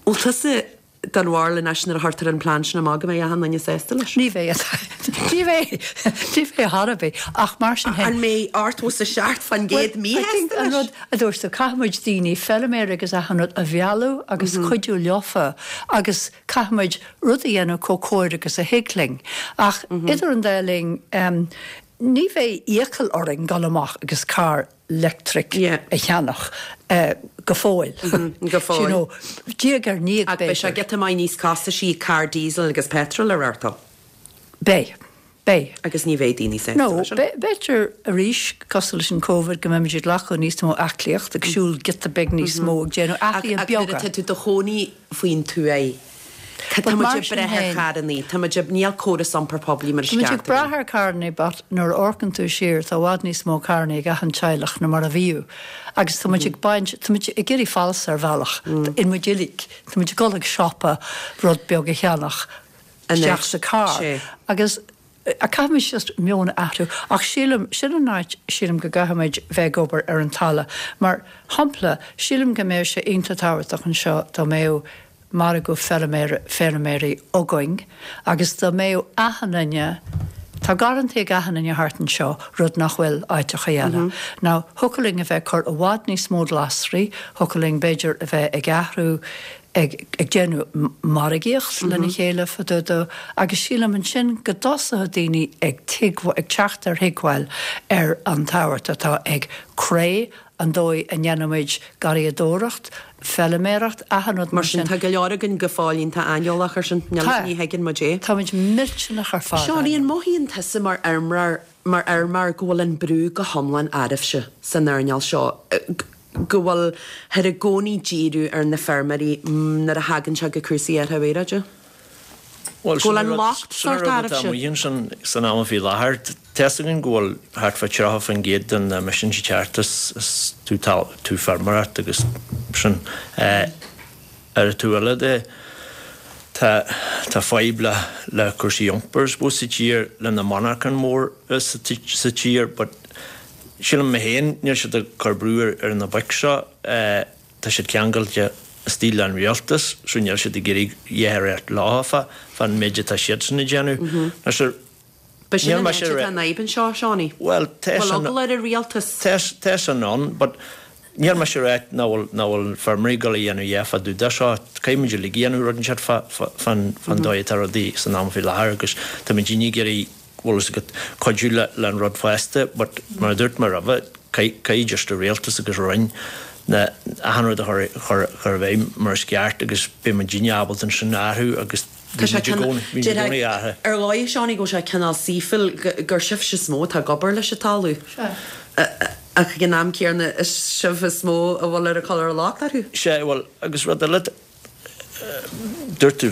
Bhfuil tusa den bharúil anois nuair a chuirtear an plean sin amach go mbeidh achan duine sásta leis? Ní bheidh. Ní bheidh. Ní bheidh ar bith. Ach mar sin féin. An mbeidh ochtó is a seacht faoin gcéad míshásta leis? An rud a dúirt tú, caithfimid daoine, feilméaraí agus achan rud a mhealladh agus cuidiú leofa agus caithfimid rud a dhéanamh chomh cóir agus a thig linn. Ach idir an dá linn, ní bheidh iachall orainn dul amach agus carr leictric a cheannach go fóill. Go fóill. You know, diaidh ar ndiaidh b'fhéidir. Ach beidh sé giota maith níos costaisí carr diesel agus petrol a reáchtáil. Beidh. Beidh. Agus ní bheidh daoine sásta No, b'fhéidir arís, cosúil leis an Covid, go mbeimid ag glacadh níos mó aclaíocht, ag siúl giota beag níos mó, ag déanamh athruithe beaga. Ach nuair atá tú i do chónaí faoin tuath, Tá muid ag brath ar charrannaí, tá muid ag, níl córas iompair poiblí mar is Tá muid ceart ag brath ar carrannaí but nuair a amharcann tú siar tá i bhfad níos mó carrannaí ag achan teaghlach ná mar a bhíodh agus tá muid ag baint, tá muid ag éirí falsa ar bhealach, in muid uilig, tá muid ag dul ag siopa rud beag a cheannach isteach sa carr agus caithfimid just meon a athrú ach sílim, sin an áit sílim go gcaithfimid bheith ag obair ar an talamh mar shampla sílim go mbeadh sé iontach tábhachtach anseo dá mbeadh margadh feilméaraí againn agus dá mbeadh achan duine, tá garrantaí ag achan duine thart anseo, rud nach bhfuil áiteacha eile. Now, thiocfadh linn a bheith ag cur i bhfad níos mó glasraí, thiocfadh linn b'fhéidir a bheith ag athrú, ag ag déanamh margaíocht lena chéile fá dtaobh dó agus sílim ansin go dtosódh daoine ag ag teacht ar thuigbheáil ar an tábhacht atá ag cré an dóigh a ndéanaimid garraíodóireacht, feilméaracht, achan rud mar mar sin. sin. Tá go leor againn go fóill iontach aineolach ar sin, níl, Tá. ní thuigeann muid é. Táimid millteanach ar fad Seánie, an aineolach. mothaíonn tusa mar fheirmeoir, mar fheirmeoir go bhfuil an brú go hiomlán oraibhse san earnáil seo, go bhfuil thar i gcónaí díriú ar na feirmeoirí nuair a thagann sé go cúrsaí athrú aeráide? Bhuel, Go sin bhfuil an an rud, locht sin an sórt rud atá oraibhse? amuigh ansin san am faoi láthair. Tá a fhios againn go bhfuil thart fá tríocha faoin gcéad de na emissions ag teacht as, as tú, tú feirmeoireacht agus sin. Ar an taobh eile de, tá, tá fadhb le, le cúrsaí iompair, I suppose, sa tír, le na monarchain mór sa, sa tír, but sílim mé féin, níl siad ag cur brú ar, ar na boic seo. Tá siad ceangailte istigh le an rialtas, so níl siad ag iarraidh a dhath a rá leofa fán méid atá siadsan ag déanamh. Now sure, Ba sin níl an mise áit atá an fhadhb anseo, Seánie. Bhuel, tá Bhfuil sin eagla ar an rialtas? Tá tá sin ann, but níl mise ag rá nach bhfuil nach bhfuil feirmeoirí ag dul a dhéanamh a dhath fá dtaobh de seo. Caithfidh muid uilig a dhéanamh rud inteacht fá fá fán fán dóigh atá rudaí san am faoi láthair agus tá muidinne ag iarraidh bhfuil fhios agat, cuidiú le le an rud fosta, but mar a dúirt mé roimhe, caithfidh just an rialtas agus Roinn na achan rud a chur chur chur i bhfeidhm mar is ceart agus beidh muidinne ábalta ansin athrú agus Tá bhí sé muid i cineál, gcónaí bhí muid i gcónaí athraithe. Ar dhóigh, Seánie, go bhfuil sé cineál saoithiúil gur sibhse is mó atá ag obair leis an talamh. Sea. Ach ag an am céanna is sibh is mó a bhfuil ar a cur an locht orthu. Sea, bhuel, agus rud eile, Dúirt tú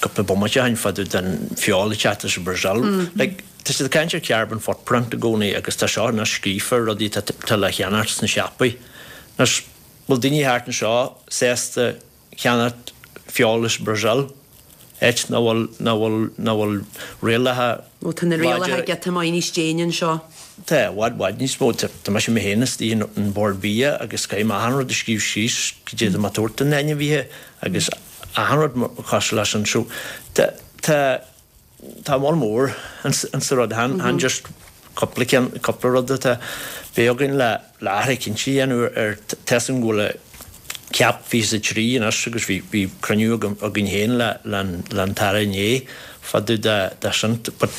cúpla bomaite ó shin fá dtaobh den feoil ag teacht as an Brazil. Like, tá siad ag caint ar carbon footprint i gcónaí agus tá seo anois scríofa ar rudaí atá le cheannacht sna siopaí. Anois, bhfuil daoine thart anseo sásta ceannacht feoil as Brazil, áit nach bhfuil, nach bhfuil, nach bhfuil rialacha Ó, tá na rialacha láidre. giota maith níos déine anseo. Tá, i bhfad, bhfad níos mó. Tá mise mé féin istigh in an Bord Bia agus caithfidh mé achan rud a scríobh síos cad é atá mé ag tabhairt do na hainmhithe agus achan rud cosúil leis sin. So, tá, tá, tá moll mór ins, ins an rud. Chan, chan just cúpla ceann, cúpla rud atá. Beidh againn le, le athrú cinnte a dhéanamh ar, tá 'fhios agam go bhfuil CAP fiche is a trí anois agus bhí, bhí cruinniú agam, againn féin le, le an, le an tAire inné fá dtaobh de, de sin. But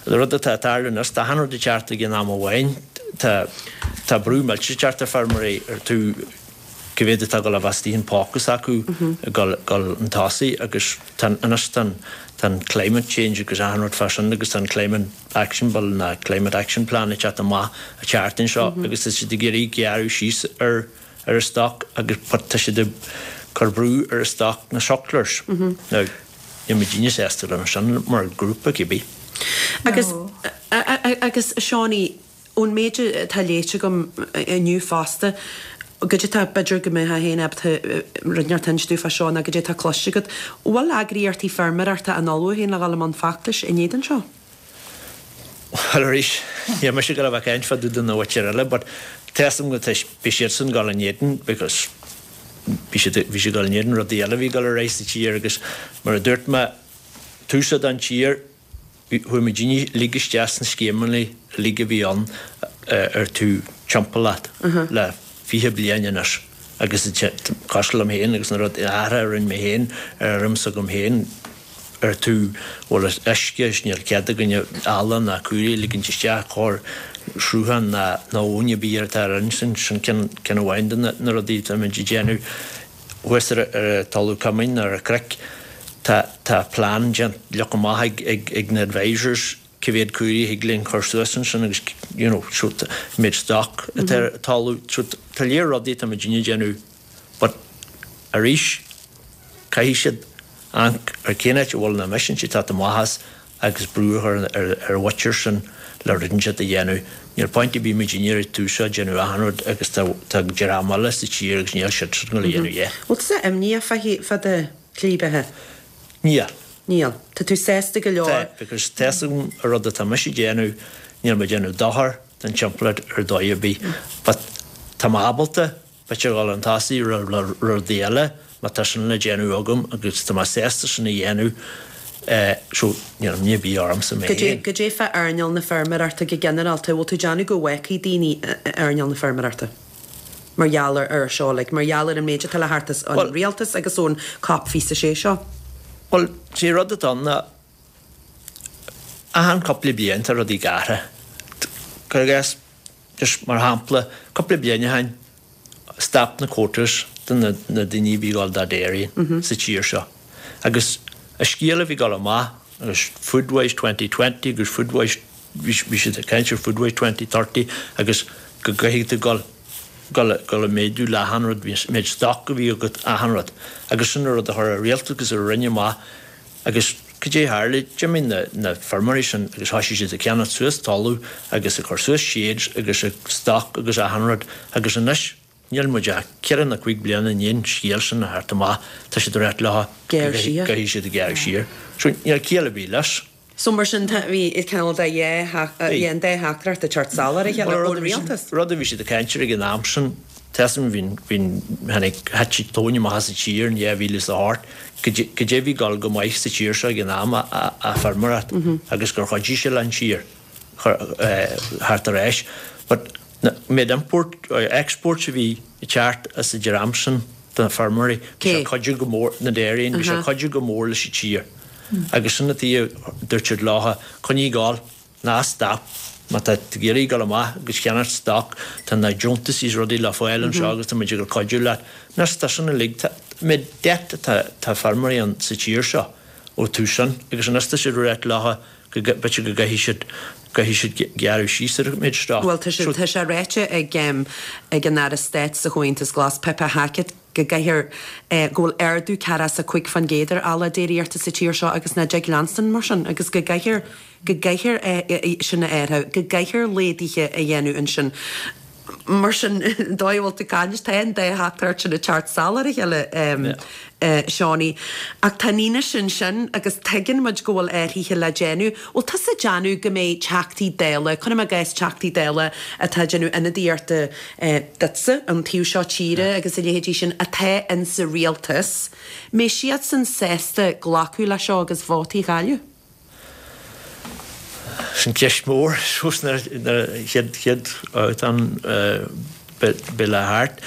an rud atá ag tarlú anois, tá achan rud ag teacht ag an am amháin, tá, tá brú millteach ag teacht ar feirmeoirí ar tú cá mhéad atá ag dul a bheith istigh in póca s'acu ag dul, dul chun tosaigh agus tá an, anois tá an, tá an climate change agus achan rud fá sin agus tá an climate action bill ná climate action plan ag teacht amach an tseachtain seo agus tá siad ag iarraidh gearradh síos ar ar an stoc agus but tá siad ag cur brú ar an stoc na sucklers. Now, níl muidinne sásta lena sin mar ghrúpa cibé. Agus, agus a Seánie, ón méid atá léite agam inniu fosta, goidé tá, b'fhéidir go mbeifeá féin ábalta rud inteacht a inse dúinn fá seo nó goidé tá cloiste agat, an bhfuil eagraíochtaí feirmeoireachta in ullmhú féin le dhul i mbun feachtais in éadan seo? Bhuel arís, níl mise ag dul a bheith ag caint fá dtaobh de na mhuintir eile but tá 'fhios agam go beidh siadsan ag dul in éadan because bhí siad bhí siad ag dul in éadan rudaí eile a bhí ag dul ar aghaidh sa tír agus mar a dúirt mé tús den tír chuaigh muidinne uilig isteach sna scéimeanna uilig a bhí ann ar taobh timpeallacht le fiche bliain anois agus cosúil liom féin agus na rudaí athruithe a rinne mé féin ar fheirm s'agam féin ar taobh bhfuil uisce is níl cead againne ealla ná caoirigh a ligint isteach chóir sruthán ná ná abhainn ar bith ar atá ar sin sin ceann ceann amháin de na rudaí atá muid ag déanamh thuas ar ar an talamh cumainn ar an chnoic tá tá plean déanta leagtha amach ag ag ag na advisors cé mhéad caoirigh a thig linn cur suas ansin agus you know so méid stoc atá ar an talamh so tá lear rudaí atá muidinne ag déanamh but arís caithfidh siad amharc ar cén áit a bhfuil na emissions ag teacht amach as agus brú a chur ar ar an mhuintir sin le rud inteacht a dhéanamh. Níl point ar bith muidinne ar an tús seo ag déanamh achan rud agus tá tá dream eile sa tír agus níl siadsan ag dul a dhéanamh a dhath. Bhfuil tusa imníoch fá fá do shlí beatha? Níl. Níl. Tá tú sásta go leor? Tá, because tá fhios agam an rud atá mise ag déanamh, níl mé ag déanamh dochar don timpeallacht ar dóigh ar bith. But tá mé ábalta b'fhéidir dhul chun tosaigh le rudaí eile má tá sin le déanamh agam agus tá mé sásta sin a dhéanamh so níl imní ar bith ormsa mé féin. Goidé fá earnáil na feirmeoireachta go ginearálta, bhfuil tú ag déanamh go bhfágfaidh daoine earnáil na feirmeoireachta mar gheall ar seo, like mar gheall ar an méid atá le theacht as an rialtas agus ón COP fiche sé seo? Bhuel, sé rud atá ann ná achan cúpla bliain tá rudaí ag athrú. Cuir i gcás, just mar shampla, cúpla bliain ó shin, stop na quotas do na daoine a bhí ag dul do dairy sa tír seo. Agus an scéal a bhí ag dul amach agus Foodwise twenty twenty agus Foodwise, bhí siad ag caint ar Foodwise twenty thirty agus go gcaithfidh tú dul, dul, dul ag méadú le achan rud, bhí an méid stoc a bhí agat, achan rud. Agus sin an rud a chuir an rialtas agus a rinne amach agus cad é a tharla, d'imigh na, na feirmeoirí sin agus thoisigh siad ag ceannacht suas talamh agus ag cur suas sheds agus ag stoc agus achan rud agus anois, Níl muid ach ceithre nó cúig bliana i ndiaidh an scéal sin a theacht amach, tá siad ag ráit leo go gcaithfidh siad gearradh siar. So níl ciall ar bith leis. So mar sin tá, bhí cineál de dhá, bhí an dá theachtaireacht ag teacht salach ar a chéile ón rialtas. Rud a bhí siad ag caint air ag an am sin, tá fhios agam bhí, bhí, tháinig, thit an tóin amach as an tír in dhá mhíle is a hocht, goidé a bhí ag dul go maith sa tír seo ag an am, a feirmeoireacht agus gur chuidigh sé leis an tír theacht ar ais. But an méid import, exports a bhí ag teacht as an dream sin do na feirmeoirí, bhí sé ag cuidiú go mór, na dairy, bhí sé ag cuidiú go mór leis an tír. Agus sin an tuige a dúirt siad leo, coinnigh ag gabháil, ná stop, má tá tú ag iarraidh dul amach agus ceannacht stoc, tá na deontais is rudaí le fáil anseo agus tá muid ag dul cuidiú leat. Anois tá sin uilig, tá méid debt atá, tá feirmeoirí ann sa tír seo ó tús sin agus anois tá siad ag ráit leo, go b'fhéidir go gcaithfidh siad, gcaithfidh siad gearradh síos ar an méid stoc. Bhuel, tá sé, tá sé ráite ag, ag an Aire Stáit sa Chomhaontas Glas, Pippa Hackett, go gcaithfear, go bhfuil ardú ceathracha is a cúig faoin gcéad ar ola déiríochta sa tír seo agus nach dtig leanstan mar sin agus go gcaithfear, go gcaithfear é sin a athrú, go gcaithfear laghduithe a dhéanamh ansin. Mar sin, an dóigh a bhfuil tú ag caint, tá an dá theachtaireacht sin ag teacht salach ar a chéile, Seánie. Ach tá an fhianaise ansin agus tuigeann muid go bhfuil athruithe le déanamh. Bhfuil tusa ag déanamh go mbeidh Teachtaí Dála, cuirim i gcás Teachtaí Dála atá ag déanamh ionadaíochta duitse, an taobh seo tíre agus a leithéidí sin, atá insa rialtas, mbeidh siadsan sásta glacadh leis seo agus vótaí a chailleadh? Sin ceist mhór suas na chéad chéad an beidh le thart.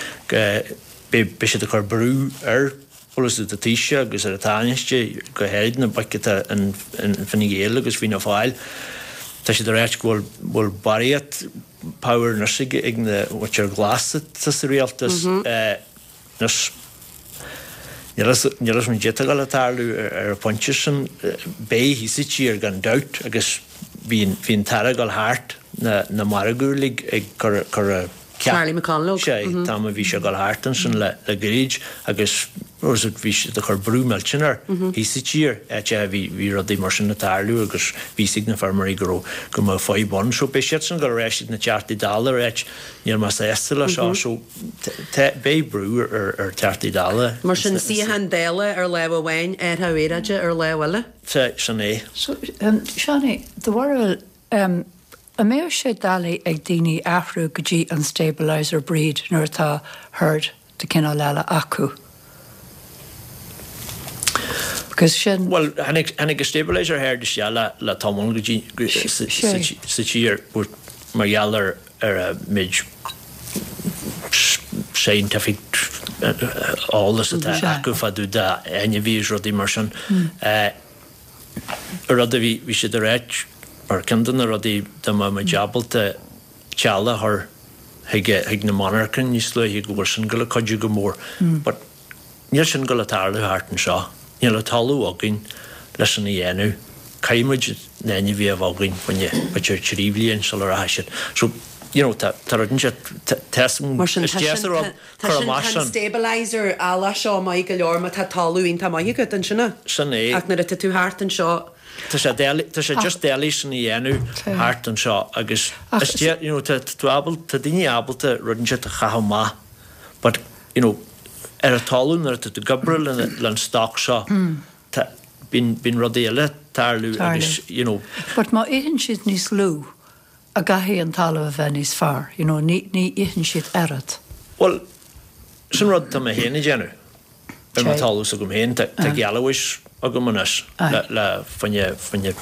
Beidh siad ag cur brú ar pholasaithe an Taoisigh agus ar an Tánaiste, go háirid na boic atá in Fine Gael agus Fianna Fáil. Tá siad ag ráit go bhfuil barraíocht power anois ag na mhuintir ghlas atá sa rialtas. Anois, níl fhios agam caidé atá ag dul a tarlú ar an phointe sin. Beidh thíos sa tír gan dabht agus bhí an tAire ag dul thart na margaidh uilig ag cur a Charlie McConalogue. Sea, an t-am a bhí sé ag dul thart ansin le gairid agus bhí siad ag cur brú millteanach air thíos sa tír, áit a bhí rudaí mar sin ag tarlú agus bhí fhios ag na feirmeoirí go raibh, go mbeadh fadhb ann. So beidh siadsan ag dul ar ais chuig na Teachtaí Dála ag ráit níl mé sásta le seo. So beidh brú ar Theachtaí Dála. Mar sin, suíochán Dála ar lámh amháin, athrú aeráide ar lámh eile? Sea, sin é. So, Seánie, do bharúil, an mbeadh sé doiligh ag daoine athrú go dtí an stabiliser breed nuair atá herd de cineál eile acu. Because sin. Bhuel, tháinig tháinig an stabiliser herd isteach le le tamall go dtí go sa sa sa tír but mar gheall ar ar an méid scientific eolas atá acu fá dtaobh d'ainmhithe is rudaí mar sin. Rud a bhí bhí siad ag ráit mar ceann de na rudaí dá mbeadh muid ábalta teallach a chur chuig chuig na monarchain níos luaithe go bhfuil sin ag goil a cuidiú go mór. But níl sin ag goil a tarlú thart anseo. Níl an talamh againn leis sin a dhéanamh. Caithfidh muid na hainmhithe a bheith againn fá choinne b'fhéidir trí bhliain sula rachaidh siad. So, you know, tá tá rud inteacht, tá Mar sin, is tá deas sin a rud tá cur sin amach tá an sin. stabiliser eallach seo maith go leor má tá talamh iontach maith agat ansin. Sin é. Ach nuair atá tú thart anseo. Tá sé doiligh, tá sé just doiligh sin a dhéanamh thart anseo agus Ach is dea, you know, tá tú ábalta, tá daoine ábalta rud inteacht a chaitheamh amach but, you know, ar an talamh nuair atá tú ag obair le an stoc seo, tá, bíonn, bíonn rudaí eile ag tarlú agus, you know. But má itheann siad níos lú, a gcaithfidh an talamh a bheith níos fearr, you know, ní, ní itheann siad oiread. Bhuel, sin rud atá mé féin ag déanamh ar mo Sé. talamh s'agam féin. Tá, tá gealabhais agam anois le, le fá choinne, fá choinne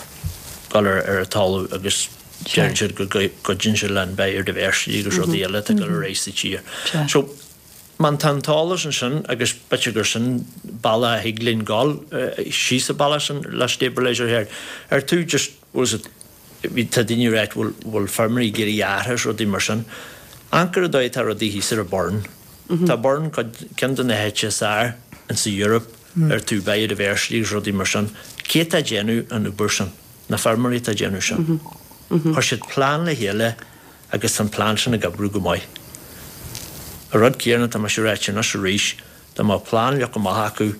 dul ar, ar an talamh agus deireann siad go gcuidíonn sé le an biodiversity agus rudaí eile atá ag dul ar aghaidh sa tír. Sé. So, má tá an t-eolas ansin agus b'fhéidir gur sin bealach a thig linn dul síos an bealach sin le stabiliser herd. Ar tú just, was it, bhí tá daoine ag ráit bhfuil bhfuil feirmeoirí ag iarraidh athrú is rudaí mar sin. Amharc ar an dóigh atá rudaí thíos ar an Burren. Tá Burren cuid ceann de na háite is fearr in sa Europe ar tú biodiversity agus rudaí mar sin. Cé atá ag déanamh an obair sin? Na feirmeoirí atá ag déanamh sin. Chuir siad plean le chéile agus tá an plean sin ag oibriú go maith. An rud céanna tá mise ag ráit anois arís, dá mbeadh plean leagtha amach acu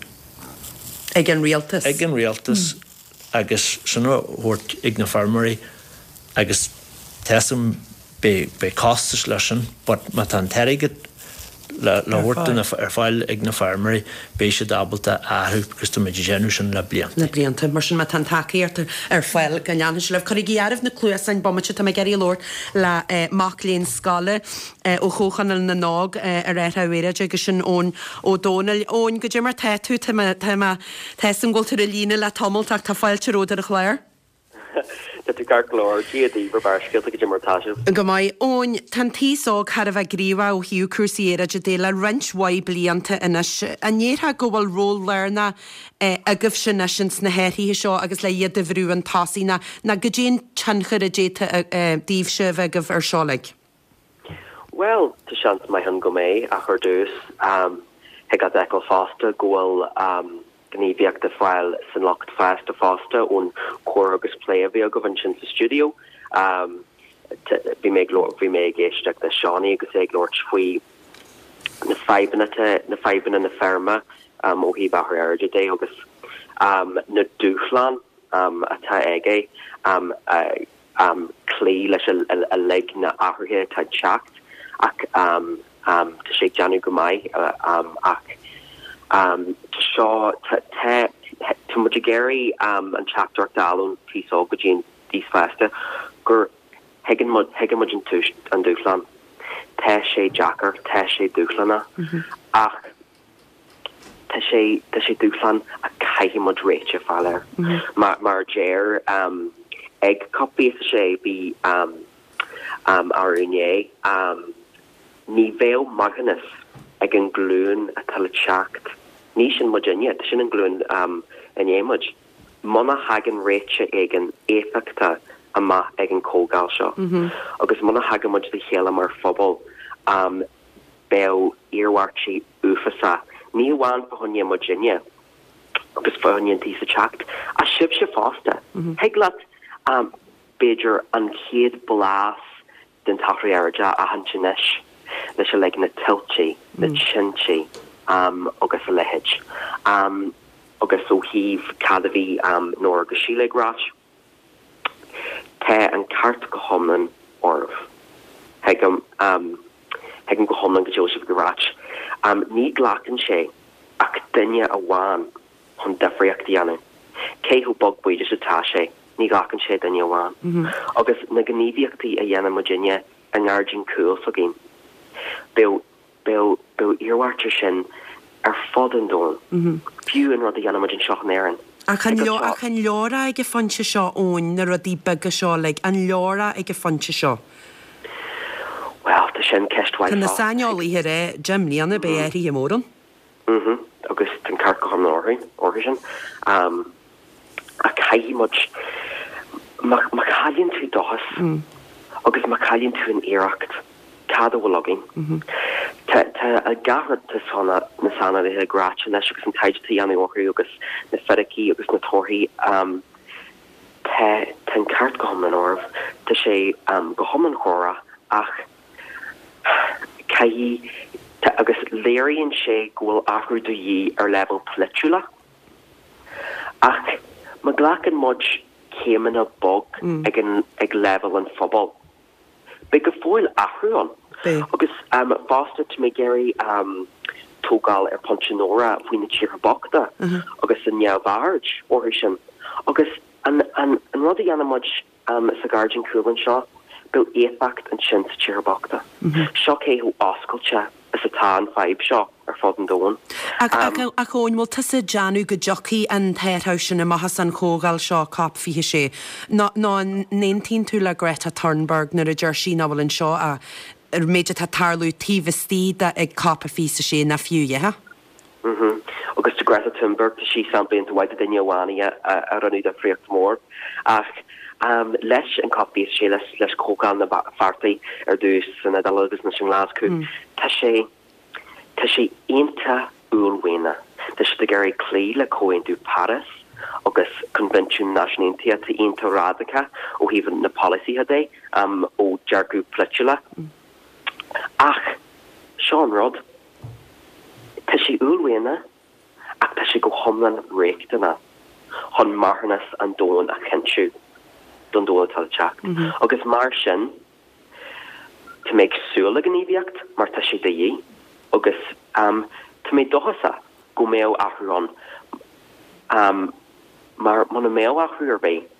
Ag an rialtas. Ag an rialtas agus sin a thabhairt ag na feirmeoirí agus tá 'fhios a'm beidh beidh costas leis sin but má tá an t-airgead le le thabhairt do na ar fáil ag na feirmeoirí beidh siad ábalta athrú because tá muid ag déanamh sin le blianta. Le blianta. Mar sin má tá an tacaíocht ar fáil go leanfaidh sé libh. Cuirigí áireamh na cluasáin bomaite, tá mé ag iarraidh labhairt le mac léinn scoile ó Chomhchonaill na nÓg ar athrú aeráide agus sin Eoin Ó Dónaill. Eoin, goidé mar tá tú? Tá mé tá mé tá 'fhios a'm go bhfuil tú ar an líne le tamall ach tá fáilte romhat ar an chlár. Tá tú ceart go leor, Dia daoibh ar Barrscéalta, goidé mar tá sibh. Go maith. Eoin, tá an t-aos óg thar a bheith gníomhach ó thaobh cúrsaí aeráide de le roinnt mhaith blianta anois. An ndéarfá go bhfuil ról lárnach agaibhse anois ins na hathruithe seo agus le iad a bhrú chun tosaigh nó nó goidé an tionchar a d'fhéadfadh daoibhse a bheith agaibh ar seo uilig? Bhuel, tá seans maith ann go mbeidh, ach ar dtús, thig leat a fheiceáil fosta go bhfuil gníomhaíocht ag fáil san lucht fásta fosta ón comhrá agus plé a bhí agaibh ansin sa stiúideo. Bhí mé ag bhí mé ag éisteacht le Seánie agus é ag labhairt faoi na fadhbanna na fadhbanna na feirme ó thaobh athrú aeráide de agus na dúshláin atá aige cloí leis uilig na athruithe atá ag teacht ach tá sé ag déanamh go maith ach tá seo tá tá muid ag iarraidh an teachtaireacht a fháil ón t-aos óg go dtí an t-aos fásta gur thuigeann muid thuigeann muid an tús an dúshlán. Tá sé deacair, tá sé dúshlánach ach tá sé tá sé dúshlán a caithfidh muid réiteach a fháil air. Mar mar a deir um, ag COP fiche a sé bhí um, um, arú inné um, ní bheadh maithiúnas ag an glúin atá le teacht. Ní sin muidinne, sin an glúin um, i ndiaidh muid. Muna thagann réiteach éigin éifeachtach amach ag an comhdháil seo. Agus muna thagann muid le chéile mar phobal um, beidh iarmhairtí uafásach. Ní amháin fá choinne muidinne agus fá choinne an t-aos le teacht, ach sibhse fosta. Thig leat um, b'fhéidir an chéad blas den t-athrú aeráide a aithint anois leis uilig na tuilte, na tinte um, agus a leithéid. Um, agus ó thaobh cad a bhí um, Nóra agus Síle ag ráit. Tá an ceart go hiomlán oraibh. Thuigim um, thuigim go hiomlán go dtig sibh go ráit. Um, ní ghlacann sé ach duine amháin chun difríocht a dhéanamh. Cé chomh beag b'fhéidir is atá sé, ní ghlacann sé duine amháin. Mm -hmm. Agus na gníomhaíochtaí a dhéanann muidinne i ngairdín cúil s'againn. Beidh Beidh beidh iarmhairt air sin ar fud an domhain. Fiú an rud a dhéanann muid anseo in Éirinn. Ach an leor ach an leor é ag an phointe seo Eoin, na rudaí beaga seo uilig, an leor é ag an phointe seo? Bhuel, tá sin ceist mhaith Tá na fosta. saineolaithe ag rá deich mbliana beidh athruithe mór ann. Mhm. Agus tá an ceart go hiomlán orthu, orthu sin. Um, ach caithfidh muid, má, má chailleann tú dóchas agus má chailleann tú an iarracht, cad a bhfuil againn? Tá, tá gach rud tá sna, na saineolaithe ag ráit anois agus an taighde atá á dhéanamh orthu agus na fíricí agus na torthaí, um, tá, tá an ceart go hiomlán orthu. Tá sé um, go hiomlán chóra ach caithfidh, tá, agus léiríonn sé go bhfuil athrú de dhíth ar leibhéal polaitiúla. Ach má ghlacann muid céimeanna bog ag an, ag leibhéal an phobail, beidh go fóill athrú ann. Beidh. Agus um, fosta tá mé ag iarraidh um, tógáil ar phointe Nóra faoi na tíortha bochta agus an neamhaird orthu sin. Agus an, an, an rud a dhéanann muid um, sa ghairdín cúil anseo, beidh éifeacht ansin sa tíortha bochta. Seo cé chomh oscailte is atá an fadhb seo ar fud an domhain. Ach, ach, ach Eoin, bhfuil tusa ag déanamh go dtiocfaidh an t-athrú sin amach as an chomhdháil seo COP fiche sé? Nó nó an n-aontaíonn tú le Greta Thunberg nuair a deir sí nach bhfuil anseo a ar méid atá tarlú taobh istigh de ag COP a fiche sé ná fiú a dhath? Mm Agus tá Greta Thunberg tá sí sampla mhaith de duine amháin a a rinne difríocht mór ach um, leis an COP fiche sé leis leis comhdháil na Pháirtí ar dtús san Iodáil agus na sin Glasgow Tá sé tá sé iontach uaillmhianach. Tá sé ag iarraidh cloí le Comhaontú Paris agus Coinbhinsiún Náisiún Aontaithe tá iontach radacach ó thaobh na polasaithe de um, ó dearcadh polaitiúla. Ach seo an rud Tá sé uaillmhianach ach tá sé go hiomlán riachtanach chun marthanas an domhain a chinntiú don domhan atá le teacht. Agus mar sin tá mé ag súil le gníomhaíocht mar tá sé de dhíth agus um, tá mé dóchasach go mbeidh athrú ann um, mar muna mbeidh athrú ar bith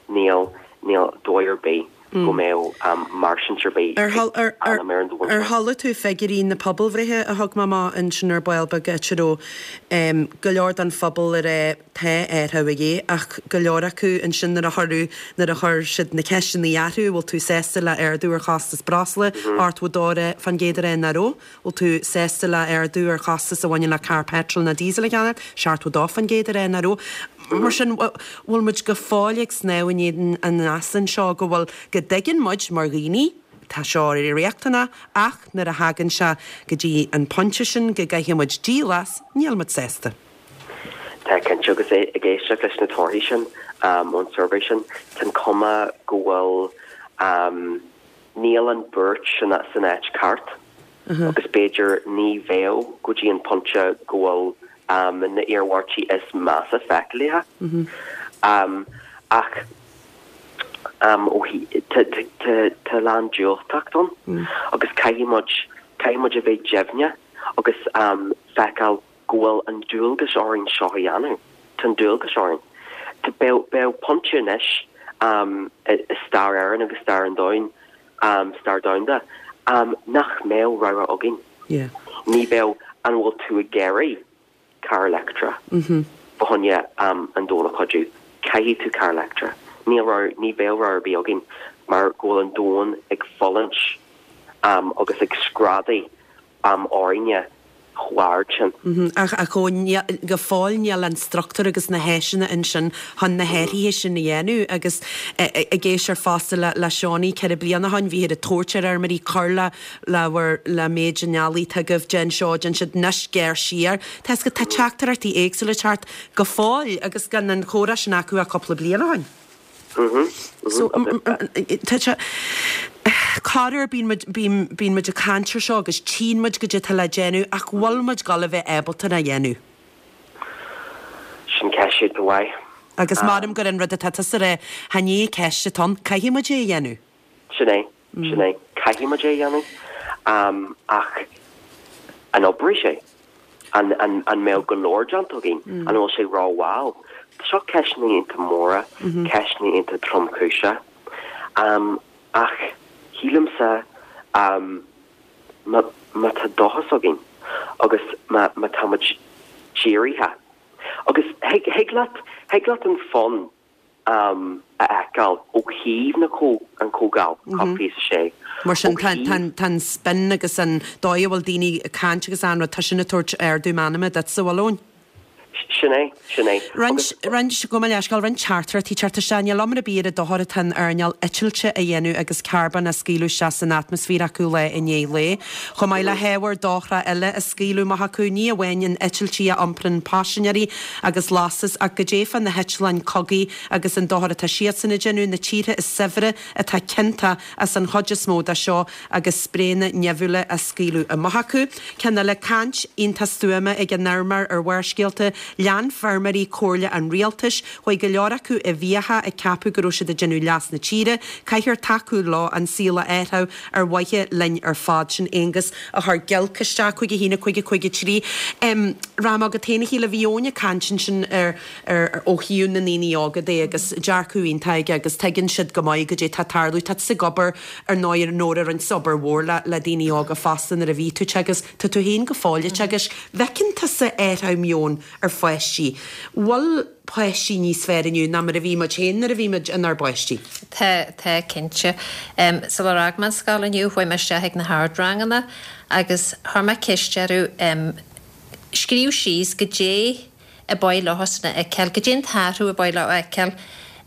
níl níl dóigh ar bith go mbeidh um, marsin ar bith Ar hal- ar- ar- anam ar an domhan Ar seo. chuala tú figiúirí na pobalbhreithe a thug mé ansin ar ball beag go um, go leor den phobal ar é tá athrú de dhíth ach go leor acu ansin nuair a chuireadh nuair a chuir siad na ceisteanna orthu bhfuil tú sásta le ardú ar chostas breosla ochtó dó faoin gcéad a rá nach raibh, bhfuil tú sásta le ardú ar chostas a bhaineann le carr petrol nó diesel a cheannach seachtó dó faoin gcéad a rá nach raibh. Mar sin bhfuil muid go fóill ag snámh in éadan an easa seo go bhfuil go dtuigeann muid mar dhaoine, tá seo riachtanach ach nuair a thagann sé go dtí an pointe sin go gcaithfidh muid díol as níl muid sásta. Tá cinnte agus é ag éisteacht leis na torthaí sin um, ón suirbhé sin tá cuma go bhfuil um, níl an buairt sin san áit ceart agus b'fhéidir ní bheidh go dtí an pointe go bhfuil um, na iarmhairtí is measa feicthe. Um, ach um, ó tá tá lán diúltacht ann agus caithfidh muid caithfidh muid a bheith deimhne agus um, feiceáil go bhfuil an dualgas orainn seo a dhéanamh Tá an dualgas orainn. Tá beidh beidh pointe anois um, i i stair Éireann agus stair an domhain um, stair domhanda um, nach mbeidh rogha againn. Yeah. Ní bheidh an bhfuil tú ag iarraidh car leictreach. Mm -hmm. Bhthne um, an dóna chuú caithfidh tú car leictreach. Níl rogha ní bheidh rogha ar bith againn mar go bhfuil an domhan ag fulaingt um, agus ag screadaíl um, orainne chomh hard sin. Mhm, Ach ach ó go fóill níl an struchtúr agus na háiseanna ansin chun na hathruithe sin a dhéanamh agus ag éisteacht fosta le le Seánie ceithre bliana ó shin bhí a tabhairt ar fheirmeoirí cur le le bhur le méid an eallaigh tugaibh den seo den siad anois géar siar. Tá go tá teachtaireachtaí éagsúla teacht go fóill agus gan an chóras sin acu a cúpla bliain ó shin. So tá sé Corruair bíonn bíonn muid ag caint air seo agus tchíonn muid goidé atá le déanamh ach bhfuil muid ag gabháil a bheith ábalta a dhéanamh. Sin ceist mhaith. Agus maram gur an rud atá tusa a rá chan é ceist atá ann caithfidh muid é a dhéanamh. Sin é sin é caithfidh muid é a dhéanamh um, ach an oibreoidh sé an, an, an mbeidh go leor déanta againn an bhfuil sé rómhall. Seo ceisteanna iontach móra, ceisteanna iontach tromchúiseacha. Um, ach shílimse um, má má tá dóchas againn agus má má tá muid dírithe agus thig thig leat thig leat an fonn um, a fheiceáil ó thaobh na có an comhdháil COP fiche a sé. Mar sin tá tá tá an spin agus an dóigh a bhfuil daoine ag caint agus an rud tá sin ag tabhairt ardú meanma duitse, an bhfuil, Eoin? Sin é, sin é. Roinnt roinnt go leisceáil roinnt teachtaireachtaí teacht isteach níl iomrá ar bith ar an dochar atá an earnáil eitilte a dhéanamh agus carbón á scaoileadh isteach san atmaisféar acu lá i ndiaidh lae. Chomh maith le hábhair dochrach eile a scaoileadh amach acu ní amháin an eitiltí a iomparann paisinéirí agus lastas ach goidé fá na heitleáin cogaidh agus an dochar atá siadsan a dhéanamh na tíortha is saibhre atá ciontach as an chuid is mó de seo agus spraenna nimhiúla á scaoileadh amach acu. Ceann eile caint iontach stuama ag an fheirmeoir ar Bharrscéalta lean feirmeoirí comhairle an rialtais, chuaigh go leor acu i bhfiacha ag ceapadh go raibh siad ag déanamh leas na tíre, caithfear tacú leo an saol a athrú ar mhaithe linn ar fad sin Aonghus a chuir giolc isteach cúig a haon a cúig a cúig a trí. Raibh agat féin a Shíle bhí Eoin ag caint ansin ar ar ó thaobh na ndaoine óga de agus dearcadh iontach aige agus tuigeann siad go maith goidé tá ag tarlú tá tú ag obair ar ndóigh ar Nóra roinnt obair mhór le le daoine óga fosta nuair a bhí tú agus tá tú féin go fóill agus bhfeiceann tusa athrú meoin ar pháistí. Bhfuil páistí níos fearr inniu ná mar a bhí muid féin nuair a bhí muid inár bpáistí. Tá tá cinnte. Um, Sular fhág mé an scoil inniu chuaigh mé isteach ag na hardranganna agus chuir mé ceist orthu um, scríobh síos goidé a ba mhaith leo a fheiceáil, goidé an t-athrú a ba mhaith leo a fheiceáil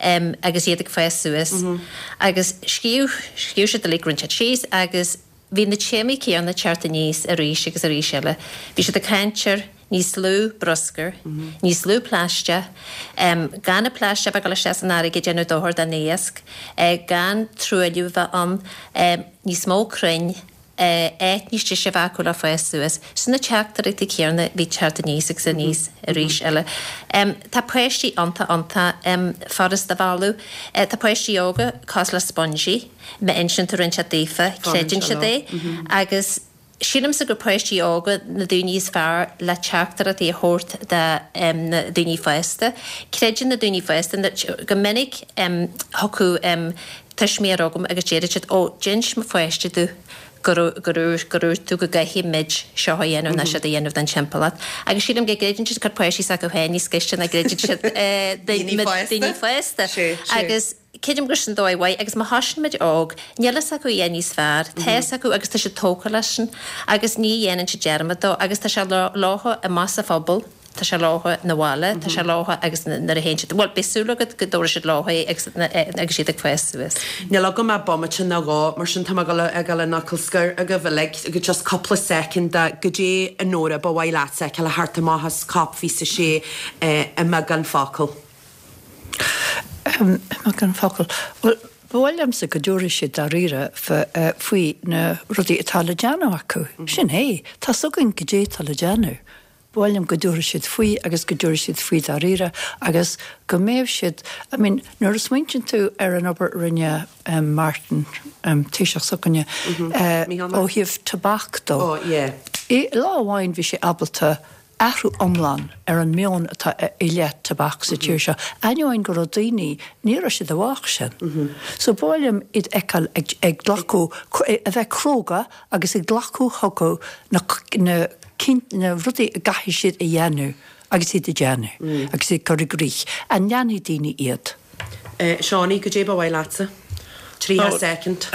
um, agus iad ag fás suas. Mm -hmm. Agus scríobh scríobh siad uilig roinnt síos agus bhí na téamaí céanna ag teacht aníos arís agus arís eile. Bhí siad ag caint ar níos lú bruscar, mm -hmm. níos lú plaisteach, um, gan na plaisteach bheith leis an fharraige ag déanamh dochar don iasc, uh, gan truailliú bheith ann, um, níos mó crainn, uh, áit níos deise bheith acu le fás suas. Sin na teachtaireachtaí céanna bhí ag teacht aníos agus aníos arís eile. Um, tá páistí iontach iontach um, furasta a mhealladh. Uh, tá páistí óga cosúil le spongy, má insíonn tú roinnt daofa, creideann siad é, agus sílimse gur páistí óga na daoine is fearr le teachtaireachtaí a thabhairt do um, na daoine fásta. Creideann na daoine fásta go minic um, thiocfadh um, tuismitheoir chugam agus déarfadh siad ó d'inis mo pháiste domh gur gur tú go gcaithfidh muid seo a dhéanamh ná siad a dhéanamh don timpeallacht. Agus sílim go gcreideann siad gur páistí s'acu féin níos gaiste ná gcreideann siad daoine fásta. Agus creidim gur sin dóigh mhaith agus má thosaíonn muid óg, níl a fhios acu a dhath níos fearr, tá a fhios acu agus tá siad tógtha leis sin agus ní dhéanann siad dearmad dó agus tá sé leo amach sa phobal, tá sé leo na bhaile, tá sé leo agus nuair a théann siad, bhuel beidh súil agat go dtabharfaidh siad leo é agus agus siad ag fás suas. Níl agam ach bomaite nó dhó, mar sin tá mé ag dul ag dul an fhocal scoir agaibh uilig, go just cúpla soicind de goidé a Nóra ba mhaith leat a fheiceáil ag teacht amach as COP fiche a sé i mbeagán focal. Um, i mbeagán focal. Well, ba mhaith liomsa go dtabharfaidh siad dáiríre faoi na rudaí atá le déanamh acu. Sin é, tá a fhios againn goidé atá le déanamh. Ba mhaith liom go dtabharfaidh siad faoi agus go dtabharfaidh siad faoi dáiríre agus go mbeidh siad, I mean, nuair a smaointíonn tú ar an obair a rinne um, Martin um, Taoiseach s'againne mm -hmm. uh, ó thaobh tobac dó. Oh, yeah. I lá amháin bhí sé ábalta athrú iomlán ar an meon atá i leith tobac sa tír seo. Ainneoin go raibh daoine ní raibh siad i bhfách sin. So ba mhaith liom iad a fheiceáil ag, ag glacadh, a bheith cróga agus ag glacadh chucu na, na, na rudaí a gcaithfidh siad a dhéanamh agus iad a dhéanamh agus iad cur i gcrích. An ndéanfaidh daoine iad? Uh, Seánie, goidé ba mhaith leatsa? Tríocha soicind.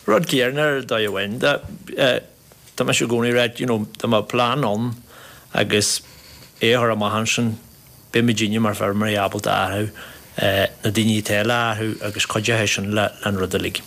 Rud céanna ar dóigh amháin. Tá mé i gcónaí ag rá, you know, tá má plean ann agus é a chur amach ansin beidh muidinne mar feirmeoirí ábalta athrú na daoine atá le athrú agus cuideoidh sin le an rud uilig.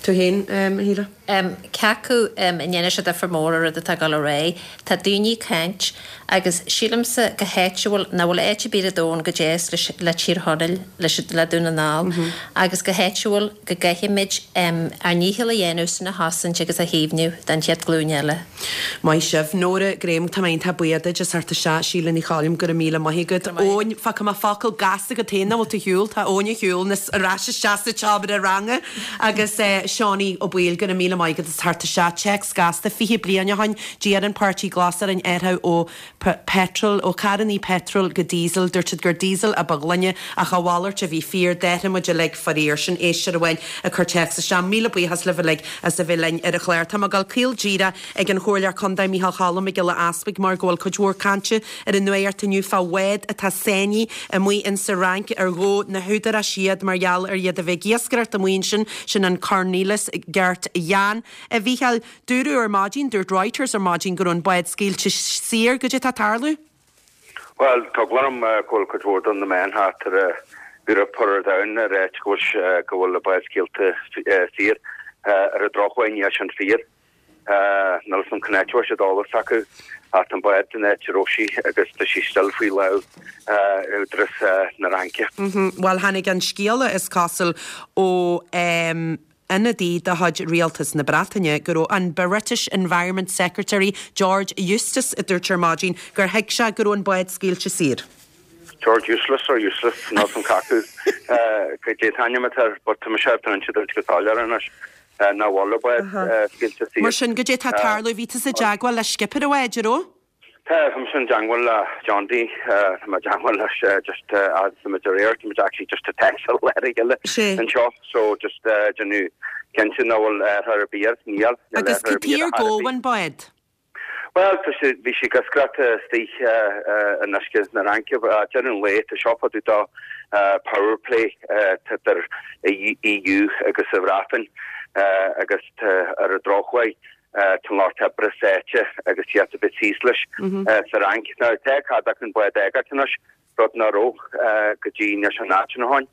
Tú féin, a Shíle? Cé acu an ndéanfaidh sé difear mór ar rud atá ag dul ar aghaidh, tá daoine ag caint agus sílimse go háitiúil nach bhfuil áit ar bith ar domhan chomh deas le Tír Chonaill, le Dún na nGall agus go háitiúil go gcaithfimid ár ndícheall a dhéanamh sin a chosaint agus a chaomhnú don chéad ghlúin eile. Maith sibh. Nóra Graham, tá mé iontach buíoch duit as theacht isteach. Síle Ní Choilm, go raibh míle maith agat. Eoin, fágfaidh mé focal gasta agat féin nach bhfuil tú ar shiúl, tá Eoin ar shiúl ar ais isteach sa tseomra ranga agus Seánie Ó Baoill, go raibh míle maith agat as theacht isteach. Téacs gasta, fiche bliain ó shoin, d'iarr an Páirtí Glas orainn athrú ó petrol, ó carrannaí petrol go diesel. Dúirt siad gur diesel a ba ghlaine ach a mhalairt a bhí fíor. D'athraigh muid uilig faraor. Sin éisteoir amháin ag cur téacs isteach. Míle buíochas libh uilig as a bheith linn ar an chlár. Tá mé ag dul caol díreach ag an Chomhairleoir Contae Micheál Cholm Mac Giolla Easpaig mar go bhfuil cuid mhór cainte ar an nuacht inniu fá bhád atá sáinnithe amuigh insa Fhrainc ar ghabh na húdaráis iad mar gheall ar iad a bheith ag iascaireacht amuigh ansin, sin an Cornelis Gert Jan. A Mhícheáil, dúradh ar maidin, dúirt Reuters ar maidin go raibh an bád scaoilte saor, goidé tá ag tarlú? Bhuel, tá eagla orm go bhfuil cuid mhór de na meáin thart ar an Eoraip ar an domhan ag ráit go bhfuil go bhfuil an bád scaoilte saor. Ar an drochuair níl sin fíor. Níl 'fhios a'm cén áit a bhfuil siad eolas acu ach tá an bád san áit a raibh sí agus tá sí still faoi lámh údarás na Fhraince. Bhuel tháinig an scéala is cosúil ó ionadaí de chuid Rialtas na Breataine go raibh an British Environment Secretary George Eustice a dúirt ar maidin gur thuig sé go raibh an bád scaoilte saor. George Useless or Useless níl 'fhios a'm cé acu goidé an t-ainm atá air but tá mise ar an dúirt go soiléir anois nach bhfuil an bád scaoilte saor. Mar sin, goidé tá ag tarlú? Bhí tusa i dteagmháil le skipper an bháid, an raibh? Tá, tá mise i dteagmháil le John D, tá mé i dteagmháil leis just as tá muid aréir, tá muid actually just ag textáil le a chéile anseo so just déanamh cinnte nach bhfuil athrú ar bith air, níl, níl Agus athrú ar cad bith chuige ar ar chor ar gabhadh bith. an bád? Bhuel, tá sé, bhí sí ag iascaireacht istigh in uisce na Fhraince. Deireadh an lae, tá seo fá dtaobh de power play atá idir EU agus an Bhreatain agus tá ar an drochuair tá an lucht oibre sáite agus iad a bheith thíos leis sa Fhrainc. Now, tá cead acu an bád a fhágáilt anois, rud nach raibh go dtí anois an áit ina shoin.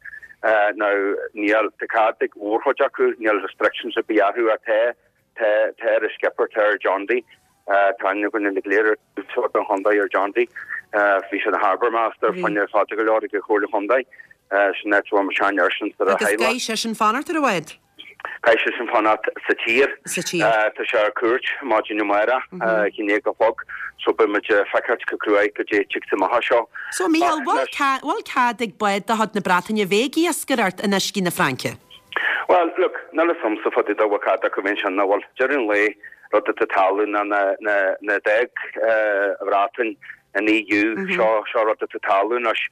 Now, níl, tá cead ag mórchuid acu, níl restrictions ar bith orthu ach tá Tá tá ar an skipper, tá ar John D. Tá aithne againn go léir anseo don chontae ar John D. Bhí sé ina harbour master fá choinne fada go leor ag an Chomhairle Chontae. Sin áit a bhfuil mo shean-fhearsan sa Agus theaghlach. caithfidh seisean fanacht ar an bhád? Caithfidh seisean fanacht sa tír. Sa tír. Tá sé ar cuairt maidin amárach, a haon déag a chlog, so beidh muid ag feiceáilt go cruaidh goidé a tiocfas amach as seo. So, Mícheál, Ach bhfuil anois. cead, bhfuil cead ag bád de chuid na Breataine bheith ag iascaireacht in uiscí na Fraince? Bhuel, look, níl 'fhios a'msa fá dtaobh de bhfuil cead acu bheith ansin nó bhfuil. Deireadh an lae, rud atá ag tarlú ná na, na, na d'fhág an Bhreatain an EU, seo, seo rud atá ag tarlú anois.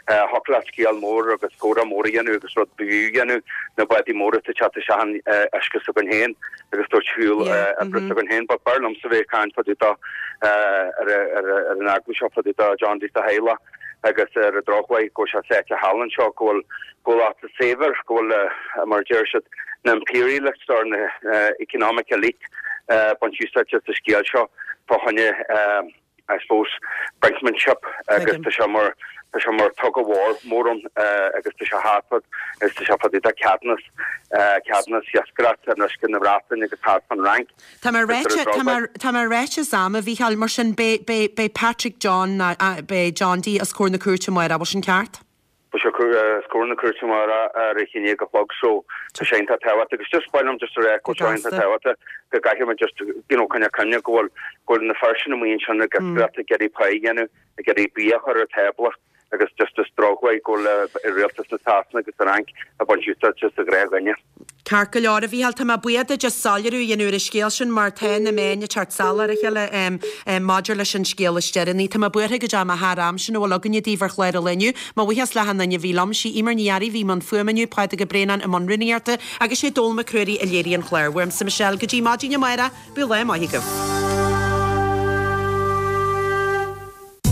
Thiocfadh leat scéal mór agus comhrá mór a dhéanamh agus rud b'fhiú a dhéanamh, na bádaí móra atá ag teacht isteach in uisce s'againn féin agus tabhairt shiúl oibre s'againn féin. But b'fhearr liomsa bheith ag caint fá dtaobh de ar, ar, ar an eagla seo fá dtaobh de John D is a theaghlach. Agus ar an drochuair go bhfuil sé sáite thall anseo, go bhfuil, go bhfuil lucht saibhir, go bhfuil, mar a deir siad, na imperialists or na economic elite ag baint úsáid as an scéal seo fá choinne, I suppose, brinkmanship agus tá sé mar, tá sé mar tug of war mór ann agus tá sé thart fad, agus tá sé fá dtaobh de ceadúnas, ceadúnas iascaireachta in uisce na Breataine agus thart fán Fhrainc. Tá mé ráite, tá mé, tá mé ráite as am, a Mhícheáil, mar sin beidh, beidh, beidh Patrick John ná, beidh John D os comhair na cúirte amárach, bhfuil sin ceart? Beidh sé os comhair na cúirte amárach ar a haon déag a chlog so tá sé iontach tábhachtach agus just ba mhaith liom just a rá go bhfuil sé iontach tábhachtach go gcaithfidh muid just you know coinneáil cuimhne go bhfuil, go bhfuil na fir sin amuigh ansin ag iascaireacht ag iarraidh pá a dhéanamh, ag iarraidh bia a chur ar tábla. Agus just is drochuair go bhfuil rialtas na Sasana agus an Fhrainc ag baint úsáid as an ghnáthdhuine. Ceart go leor, a Mhícheáil, tá mé buíoch duit as soiléiriú a dhéanamh ar an scéal sin mar tá na meáin ag teacht salach ar a chéile maidir leis an scéal is deireanaí. Tá mé buartha go dteachaidh mé thar am, sin a bhfuil againne daoibh ar chlár an lae inniu. Mo bhuíochas le hachan duine a bhí liom, sí Eimear Ní Fhearraigh a bhí i mbun fuaime inniu, Pádraig Ó Braonáin i mbun rúnaíochta agus sé Dónall Mac Ruairí a léirigh an clár. Uaimse Michelle go dtí maidin amárach, bíodh lá maith agaibh.